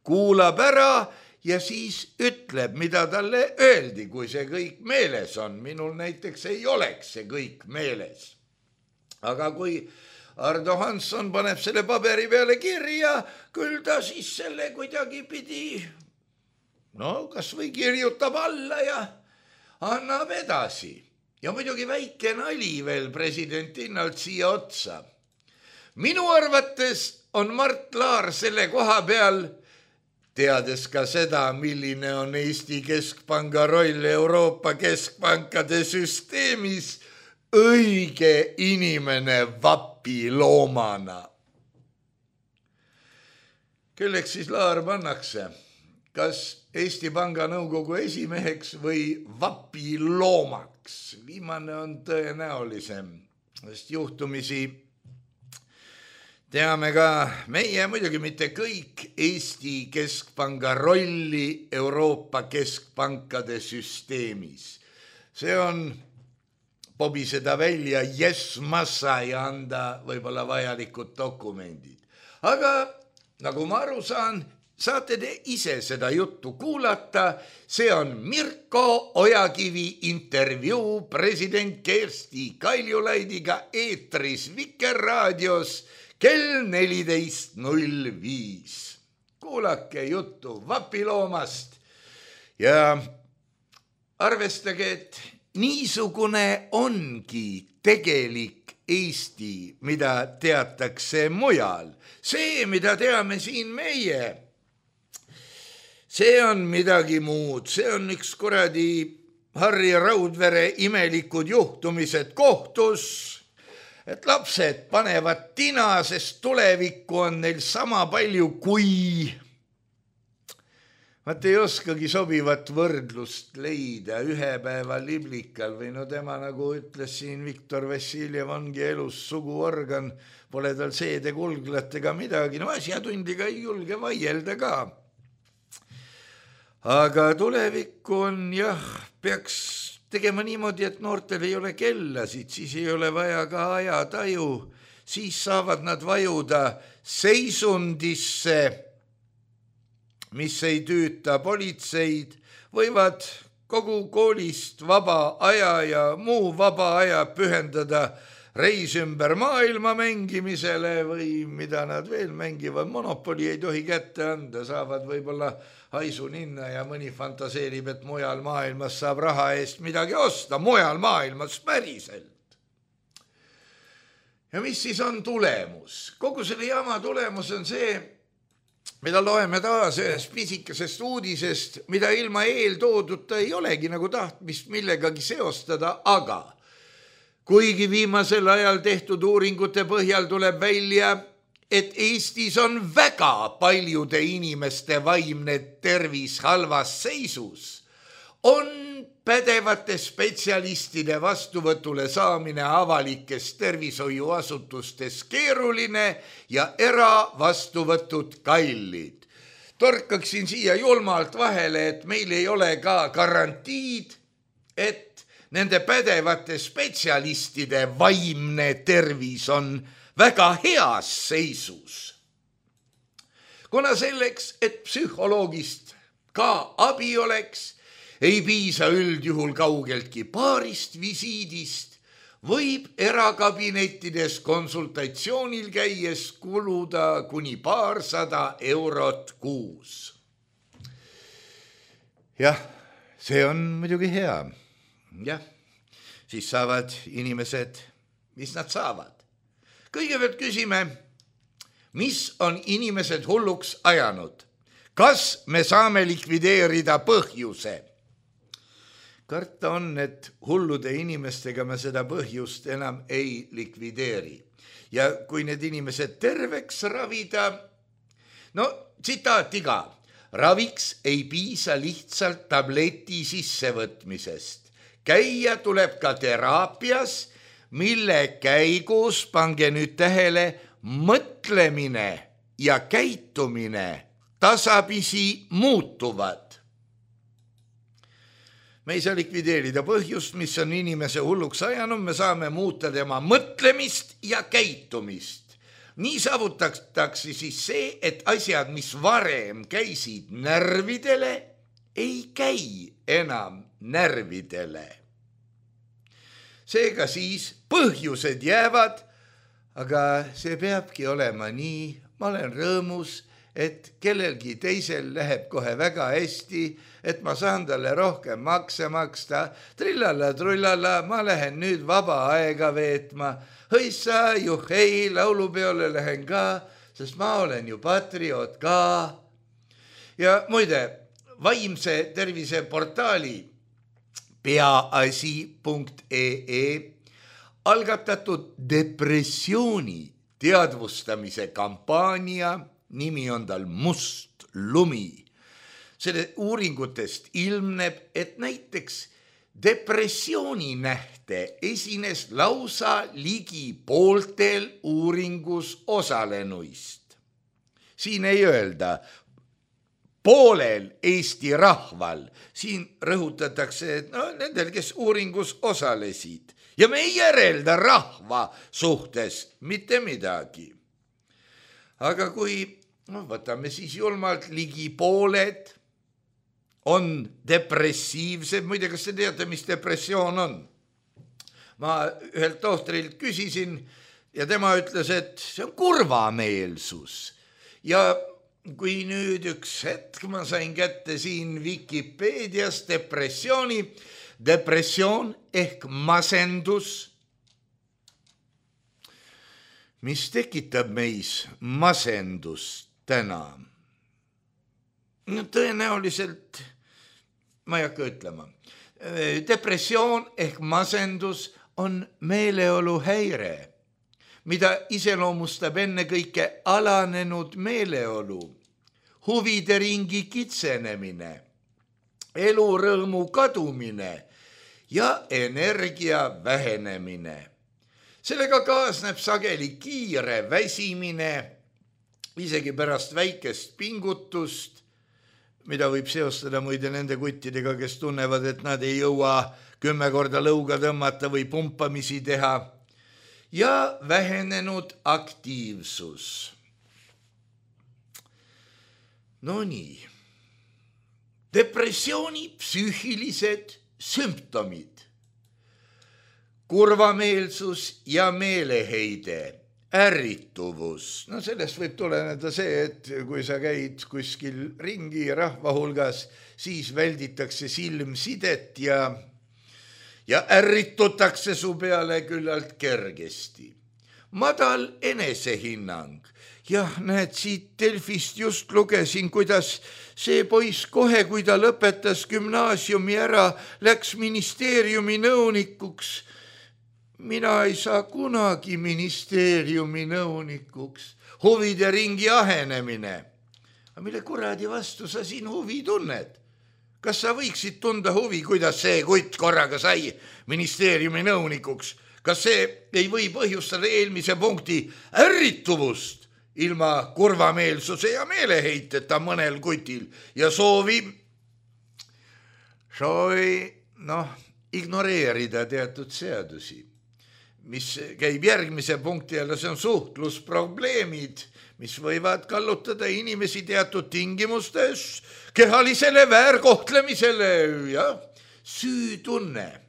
C: kuulab ära ja siis ütleb, mida talle öeldi, kui see kõik meeles on. Minul näiteks ei oleks see kõik meeles. Aga kui Ardo Hansson paneb selle paberi peale kirja, küll ta siis selle kuidagi pidi, no kas või kirjutab alla ja annab edasi. Ja muidugi väike nali veel president Innalt siia otsa. Minu arvates on Mart Laar selle koha peal, teades ka seda, milline on Eesti Keskpanga roll Euroopa keskpankade süsteemis, õige inimene vapiloomana. Kelleks siis Laar pannakse? Kas Eesti Panga nõukogu esimeheks või vapiloomaks? Viimane on tõenäolisem, sest juhtumisi teame ka meie, muidugi mitte kõik, Eesti Keskpanga rolli Euroopa keskpankade süsteemis. See on pobiseda välja massa ja anda võib-olla vajalikud dokumendid. Aga nagu ma aru saan, saate te ise seda juttu kuulata. See on Mirko Ojakivi intervjuu president Kersti Kaljulaidiga eetris Vikerraadios kell 14.05. Kuulake juttu vapiloomast ja arvestage, et niisugune ongi tegelik Eesti, mida teatakse mujal. See, mida teame siin meie, see on midagi muud. See on üks kuradi Harri Raudvere imelikud juhtumised kohtus, et lapsed panevad tina, sest tulevikku on neil sama palju kui... Vaat ei oskagi sobivat võrdlust leida ühe päeva liblikal või no tema, nagu ütles siin Viktor Vassiljev, ongi elus suguorgan, pole tal seedekulglatega midagi, no asjatundliga ei julge vaielda ka. Aga tulevikku on jah, peaks tegema niimoodi, et noortel ei ole kellasid, siis ei ole vaja ka ajataju, siis saavad nad vajuda seisundisse, mis ei tüüta politseid, võivad kogu koolist vaba aja ja muu vaba aja pühendada reis ümber maailma mängimisele või mida nad veel mängivad. Monopoli ei tohi kätte anda, saavad võib-olla haisuninna ja mõni fantaseerib, et mujal maailmas saab raha eest midagi osta, mujal maailmas päriselt. Ja mis siis on tulemus? Kogu selle jama tulemus on see, mida loeme taas ühest pisikesest uudisest, mida ilma eeltooduta ei olegi nagu tahtmist millegagi seostada, aga kuigi viimasel ajal tehtud uuringute põhjal tuleb välja, et Eestis on väga paljude inimeste vaimne tervis halvas seisus, on pädevate spetsialistide vastuvõtule saamine avalikes tervishoiuasutustes keeruline ja eravastuvõtud kallid. Torkaksin siia julmalt vahele, et meil ei ole ka garantiid, et nende pädevate spetsialistide vaimne tervis on väga heas seisus. Kuna selleks, et psühholoogist ka abi oleks, ei piisa üldjuhul kaugeltki paarist visiidist, võib erakabinettides konsultatsioonil käies kuluda kuni 200 eurot kuus. Jah, see on muidugi hea. Jah, siis saavad inimesed, mis nad saavad. Kõigepealt küsime, mis on inimesed hulluks ajanud? Kas me saame likvideerida põhjuse? Karta on, et hullude inimestega me seda põhjust enam ei likvideeri. Ja kui need inimesed terveks ravida, no tsitaat iga, raviks ei piisa lihtsalt tableti sissevõtmisest. Käia tuleb ka teraapias, mille käigus, pange nüüd tähele, mõtlemine ja käitumine tasapisi muutuvad. Me ei saa likvideerida põhjust, mis on inimese hulluks ajanud, me saame muuta tema mõtlemist ja käitumist. Nii saavutatakse siis see, et asjad, mis varem käisid närvidele, ei käi enam närvidele. Seega siis põhjused jäävad, aga see peabki olema nii. Ma olen rõõmus, et kellelgi teisel läheb kohe väga hästi, et ma saan talle rohkem makse maksta. Trillala-trullala, ma lähen nüüd vaba aega veetma. Hõissa, juhhei, laulupeole lähen ka, sest ma olen ju patrioot ka. Ja muide, vaimse tervise portaali peaasi.ee algatatud depressiooni teadvustamise kampaania nimi on tal Must lumi. Selle uuringutest ilmneb, et näiteks depressiooni nähte esines lausa ligi pooltel uuringus osalenuist. Siin ei öelda poolel Eesti rahval, siin rõhutatakse, et nendel, kes uuringus osalesid. Ja me ei järelda rahva suhtes mitte midagi. Aga kui võtame siis julmalt ligi pooled on depressiivsed, muide, kas te teate, mis depressioon on? Ma ühelt tohtrilt küsisin ja tema ütles, et see on kurvameelsus. Ja kui nüüd üks hetk ma sain kätte siin Wikipeedias depressioon ehk masendus, mis tekitab meis masendust täna. Tõenäoliselt, ma ei hakka ütlema, depressioon ehk masendus on meeleoluhäire, mida iseloomustab ennekõike alanenud meeleolu, huvide ringi kitsenemine, elurõõmu kadumine ja energia vähenemine. Sellega kaasneb sageli kiire väsimine, isegi pärast väikest pingutust, mida võib seostada muide nende kuttidega, kes tunnevad, et nad ei jõua 10 korda lõuga tõmmata või pumpamisi teha, ja vähenenud aktiivsus. No nii, depressiooni psüühilised sümptomid. Kurvameelsus ja meeleheide, ärrituvus. No sellest võib tuleneda see, et kui sa käid kuskil ringi rahva hulgas, siis välditakse silmsidet ja ärritutakse su peale küllalt kergesti. Madal enesehinnang. Jah, näed, siit Delfist just lugesin, kuidas see poiss kohe, kui ta lõpetas gümnaasiumi ära, läks ministeeriumi nõunikuks. Mina ei saa kunagi ministeeriumi nõunikuks. Huvide ringi ahenemine. Aga mille kuradi vastu sa siin huvi tunned? Kas sa võiksid tunda huvi, kuidas see kutt korraga sai ministeeriumi nõunikuks? Kas see ei või põhjustada eelmise punkti ärrituvust ilma kurvameelsuse ja meeleheiteta mõnel kutil ja soovi ignoreerida teatud seadusi, mis käib järgmise punkti jälle, see on suhtlusprobleemid, mis võivad kallutada inimesi teatud tingimustes kehalisele väärkohtlemisele ja süütunne.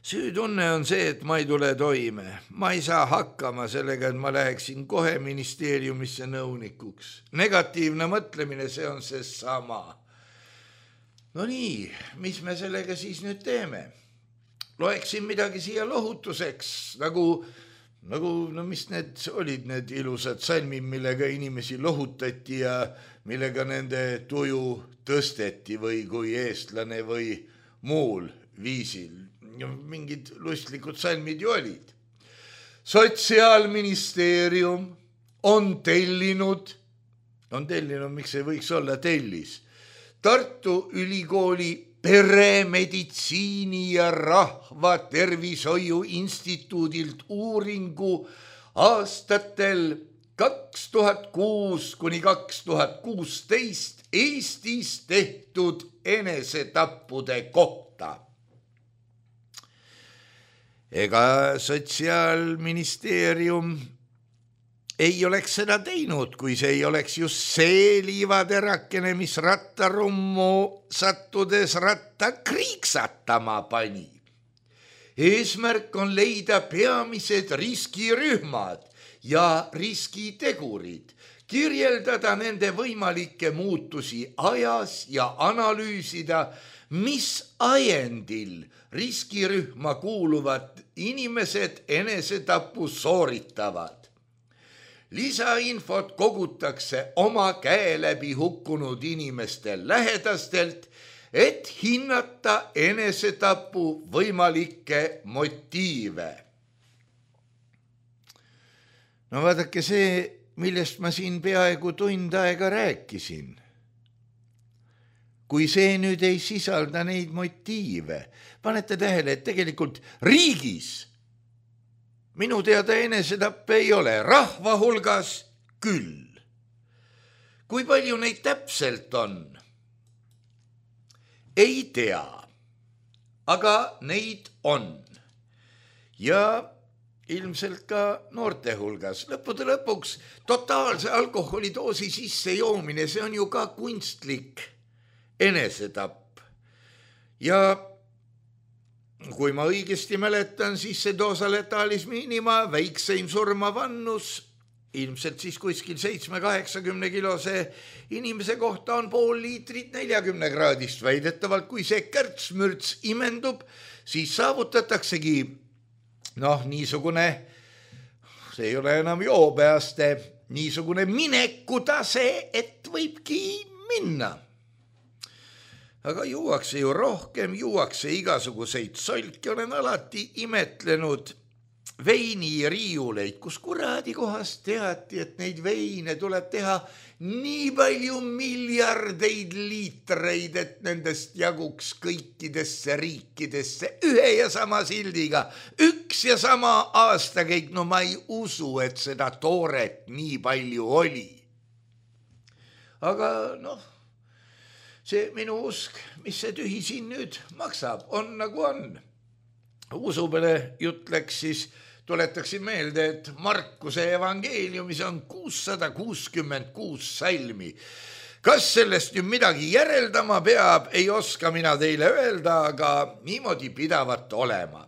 C: Süütunne on see, et ma ei tule toime. Ma ei saa hakkama sellega, et ma läheksin kohe ministeeriumisse nõunikuks. Negatiivne mõtlemine, see on see sama. No nii, mis me sellega siis nüüd teeme? Loeksin midagi siia lohutuseks, nagu mis need olid need ilusad salmid, millega inimesi lohutati ja millega nende tuju tõsteti või kui eestlane või muul viisil. Mingid lustlikud salmid ju olid. Sotsiaalministeerium on tellinud, miks ei võiks olla tellis, Tartu Ülikooli peremeditsiini ja rahvatervishoiu instituudilt uuringu aastatel 2006 kuni 2016 Eestis tehtud enesetappude kohta. Ega Sotsiaalministeerium ei oleks seda teinud, kui see ei oleks just see liivaterakene, mis rattarummu sattudes ratta kriiksatama pani. Eesmärk on leida peamised riskirühmad ja riskitegurid, kirjeldada nende võimalikke muutusi ajas ja analüüsida, mis ajendil riskirühma kuuluvad inimesed enesetapu sooritavad. Lisainfot kogutakse oma käe läbi hukkunud inimeste lähedastelt, et hinnata enesetapu võimalikke motiive. No vaadake see, millest ma siin peaaegu tund aega rääkisin. Kui see nüüd ei sisalda neid motiive, panete tähele, et tegelikult riigis minu teada enesetappe ei ole, rahva hulgas küll. Kui palju neid täpselt on? Ei tea, aga neid on. Ja ilmselt ka noorte hulgas. Lõppude lõpuks totaalse alkoholidoosi sisse joomine, see on ju ka kunstlik enesetapp. Ja kui ma õigesti mäletan, siis see doosa letalis minima väikseim surmavannus, ilmselt siis kuskil 7-80 kilose inimese kohta on pool liitrit 40 kraadist. Väidetavalt, kui see kärtsmürts imendub, siis saavutataksegi niisugune, see ei ole enam joobeaste, niisugune minekutase, et võibki minna. Aga juuakse ju rohkem, juuakse igasuguseid solki, olen alati imetlenud veiniriiuleid, kus kuradi kohast teati, et neid veine tuleb teha nii palju miljardeid liitreid, et nendest jaguks kõikidesse riikidesse ühe ja sama sildiga, üks ja sama aastakäik. No ma ei usu, et seda tooret nii palju oli. Aga see minu usk, mis see tühi siin nüüd maksab, on nagu on. Usupele jutt läks, siis tuletaksin meelde, et Markuse evangeeliumis on 666 salmi. Kas sellest nüüd midagi järeldama peab, ei oska mina teile öelda, aga niimoodi pidavat olema.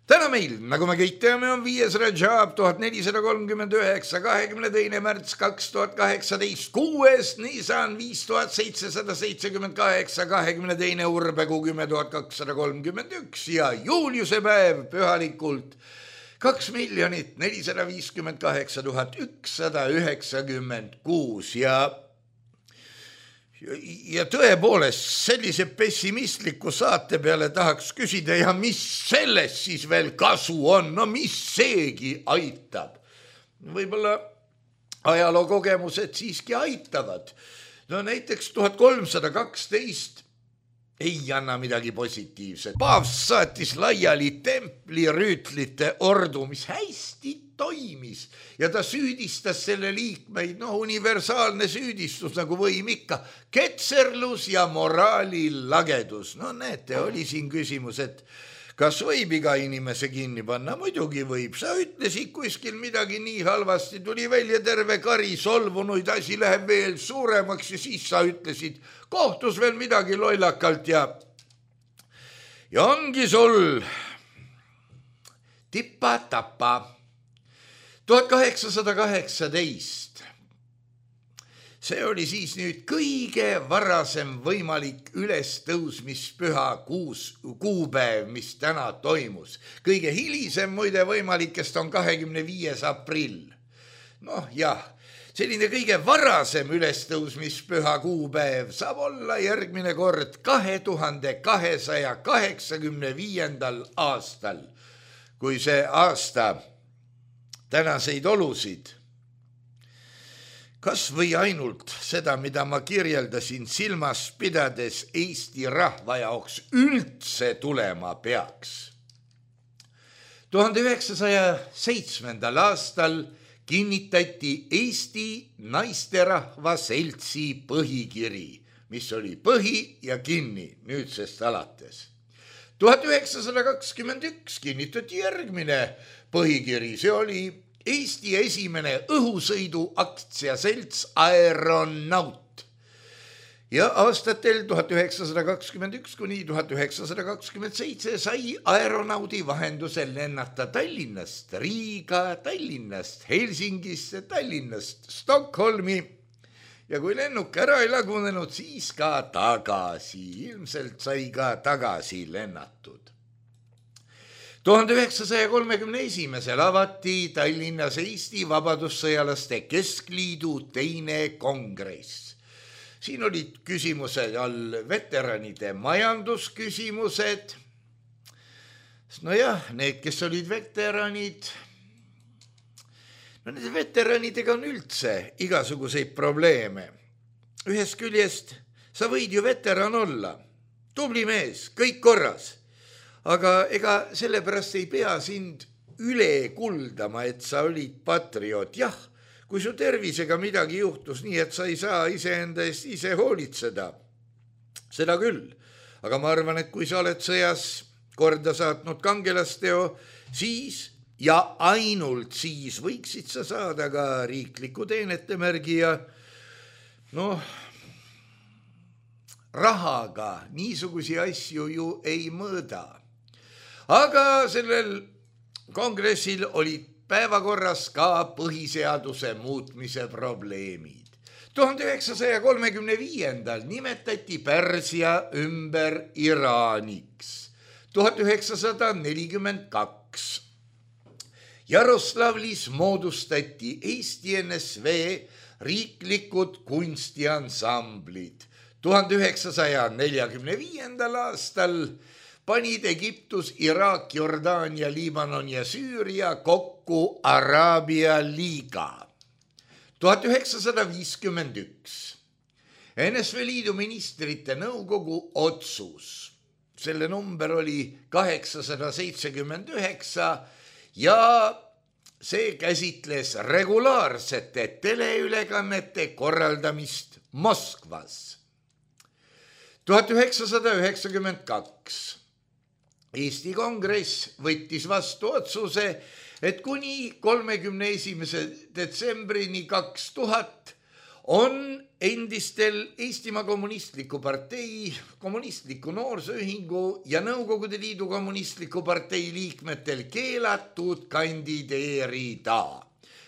C: Täna meil, nagu me kõik teame, on 5. Rajab 1439, 22. märts 2018, 6. Nisan 5778, 22. Urbekuu 10231 ja Juuliuse päev pühalikult 2 458 196 ja tõepoolest sellise pessimistliku saate peale tahaks küsida, ja mis sellest siis veel kasu on, mis seegi aitab. Võib-olla ajalookogemused siiski aitavad. Näiteks 1312 ei anna midagi positiivset. Paavst saatis laiali templirüütlite ordu, mis hästi toimis ja ta süüdistas selle liikmeid, universaalne süüdistus nagu võim ikka, ketserlus ja moraali lagedus. Näete, oli siin küsimus, et kas võib iga inimese kinni panna? Muidugi võib. Sa ütlesid kuskil midagi nii halvasti, tuli välja terve kari solvunuid, asi läheb veel suuremaks ja siis sa ütlesid kohtus veel midagi lollakalt ja ongi sul tipa-tapa. 1818. See oli siis nüüd kõige varasem võimalik ülestõusmispüha kuupäev, mis täna toimus. Kõige hilisem muide võimalikest on 25. aprill. Selline kõige varasem ülestõusmispüha kuupäev saab olla järgmine kord 2285. aastal, kui see aasta tänaseid olusid, kas või ainult seda, mida ma kirjeldasin silmas pidades Eesti rahva jaoks üldse tulema peaks. 1907. aastal kinnitati Eesti naisterahva seltsi põhikiri, mis oli põhi ja kinni nüüdsest alates. 1921 kinnitati järgmine põhikiri, see oli Eesti esimene õhusõidu aktsiaselts Aeronaut. ja aastatel 1921 kuni 1927 sai aeronaudi vahendusel lennata Tallinnast Riiga, Tallinnast Helsingisse, Tallinnast Stockholmi ja kui lennuk ära ei lagunenud, siis ka tagasi. Ilmselt sai ka tagasi lennatud. 1931 avati Tallinnas Eesti Vabadussõjalaste Keskliidu teine kongress. Siin olid küsimused all veteranide majandusküsimused. Nojah, need, kes olid veteranid, nende veteranidega on üldse igasuguseid probleeme. Ühest küljest sa võid ju veteran olla, tubli mees, kõik korras, aga ega sellepärast ei pea sind üle kuldama, et sa olid patrioot. Jah, kui su tervisega midagi juhtus nii, et sa ei saa iseenda eest ise hoolitseda, seda küll. Aga ma arvan, et kui sa oled sõjas korda saatnud kangelasteo, siis ja ainult siis võiksid sa saada ka riikliku teenetemärgi ja rahaga niisugusi asju ju ei mõõda. Aga sellel kongressil olid päevakorras ka põhiseaduse muutmise probleemid. 1935. nimetati Pärsia ümber Iraaniks. 1942. Jaroslavlis moodustati Eesti NSV riiklikud kunstiansamblid. 1945. aastal panid Egiptus, Iraak, Jordaania, Liibanon ja Süüria kokku Araabia liiga. 1951. NSV Liidu ministrite nõukogu otsus. Selle number oli 879 ja see käsitles regulaarsete teleülekannete korraldamist Moskvas. 1992. Eesti Kongress võttis vastu otsuse, et kuni 31. detsembrini 2000 on endistel Eestimaa Kommunistliku Partei, Kommunistliku Noorsooühingu ja Nõukogude Liidu Kommunistliku Partei liikmetel keelatud kandideerida.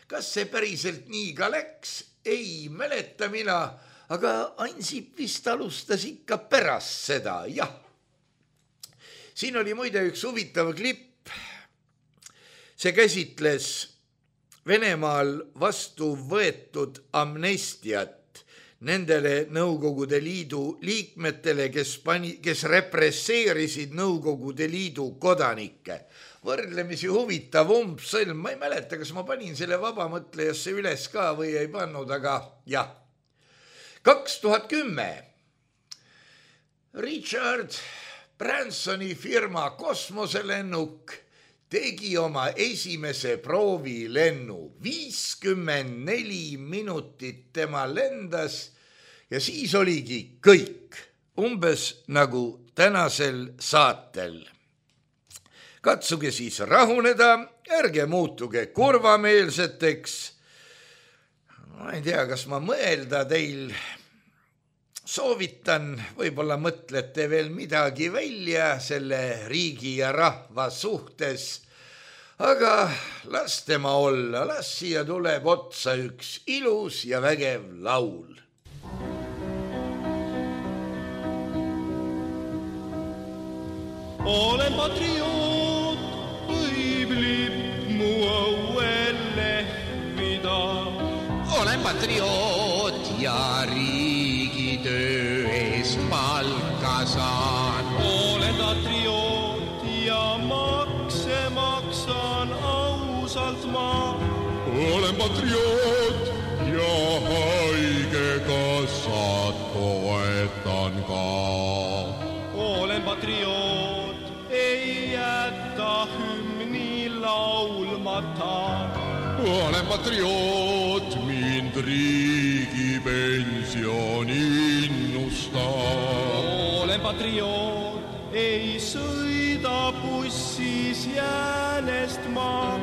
C: Kas see päriselt nii ka läks? Ei mäleta mina, aga Ansip vist alustas ikka pärast seda, jah. Siin oli muide üks huvitav klipp. See käsitles Venemaal vastu võetud amnestiat nendele Nõukogude Liidu liikmetele, kes represseerisid Nõukogude Liidu kodanikke. Võrdlemisi huvitav umbsõlm, ma ei mäleta, kas ma panin selle vabamõtlejasse üles ka või ei pannud, aga jah. 2010. Richard Bransoni firma kosmoselennuk tegi oma esimese proovilennu. 54 minutit tema lendas ja siis oligi kõik. Umbes nagu tänasel saatel. Katsuge siis rahuneda, ärge muutuge kurvameelseteks. Ma ei tea, kas ma mõelda teil soovitan, võib-olla mõtlete veel midagi välja selle riigi ja rahva suhtes, aga las tema olla, las siia tuleb otsa üks ilus ja vägev laul.
D: Olen patrioot, võib lipp mu õuel lehvida.
E: Olen patrioot ja riigitöö ees palka saan.
D: Olen patrioot ja makse maksan ausalt ma.
F: Olen patrioot ja haigekassat toetan ka.
D: Olen patrioot, ei jäta hümni laulmata.
F: Olen patrioot, mind riigipension innustab.
D: Olen patrioot, ei sõida bussis jäänest ma.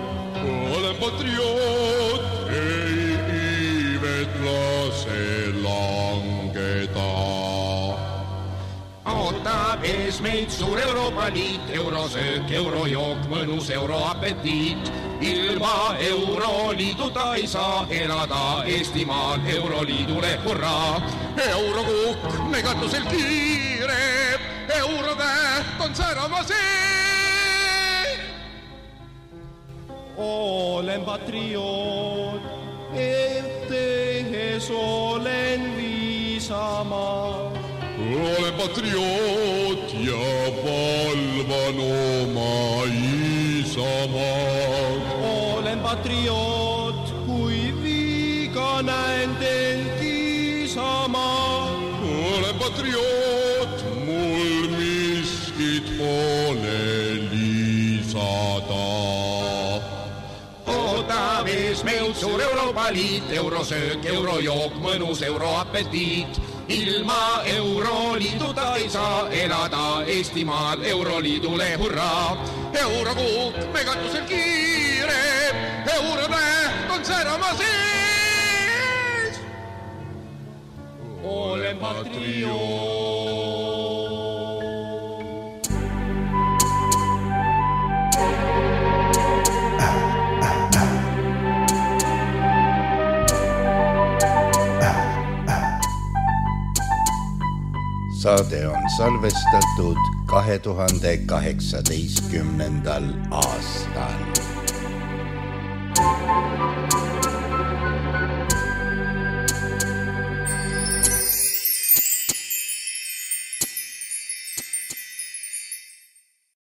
F: Olen patrioot, ei iivet lase langeda.
E: ootab ees meid suur Euroopa Liit, eurosöök, eurojook, mõnus euroapetiit. Ilma Euroliiduta ei saa elada Eestimaal, Euroliidule hurraa. Eurokukk megatusel kiire, eurotäht on särama see.
D: Olen patrioot, tehes olen viisama.
F: Olen patrioot ja valvan oma isamaad.
D: Olen patrioot, kui viiga näen teil kiisama.
F: Olen patrioot, mul miskit pole lisada.
E: Ootab ees meid suur Euroopa Liit, eurosöök, eurojook, mõnus euroapetiit. Ilma Euroliiduta ei saa elada Eestimaal, Euroliidule hurraa. Eurokukk megatusel kiire, eurotäht on särama sees.
D: Olen patrioot.
C: Saade on salvestatud 2018. aastal.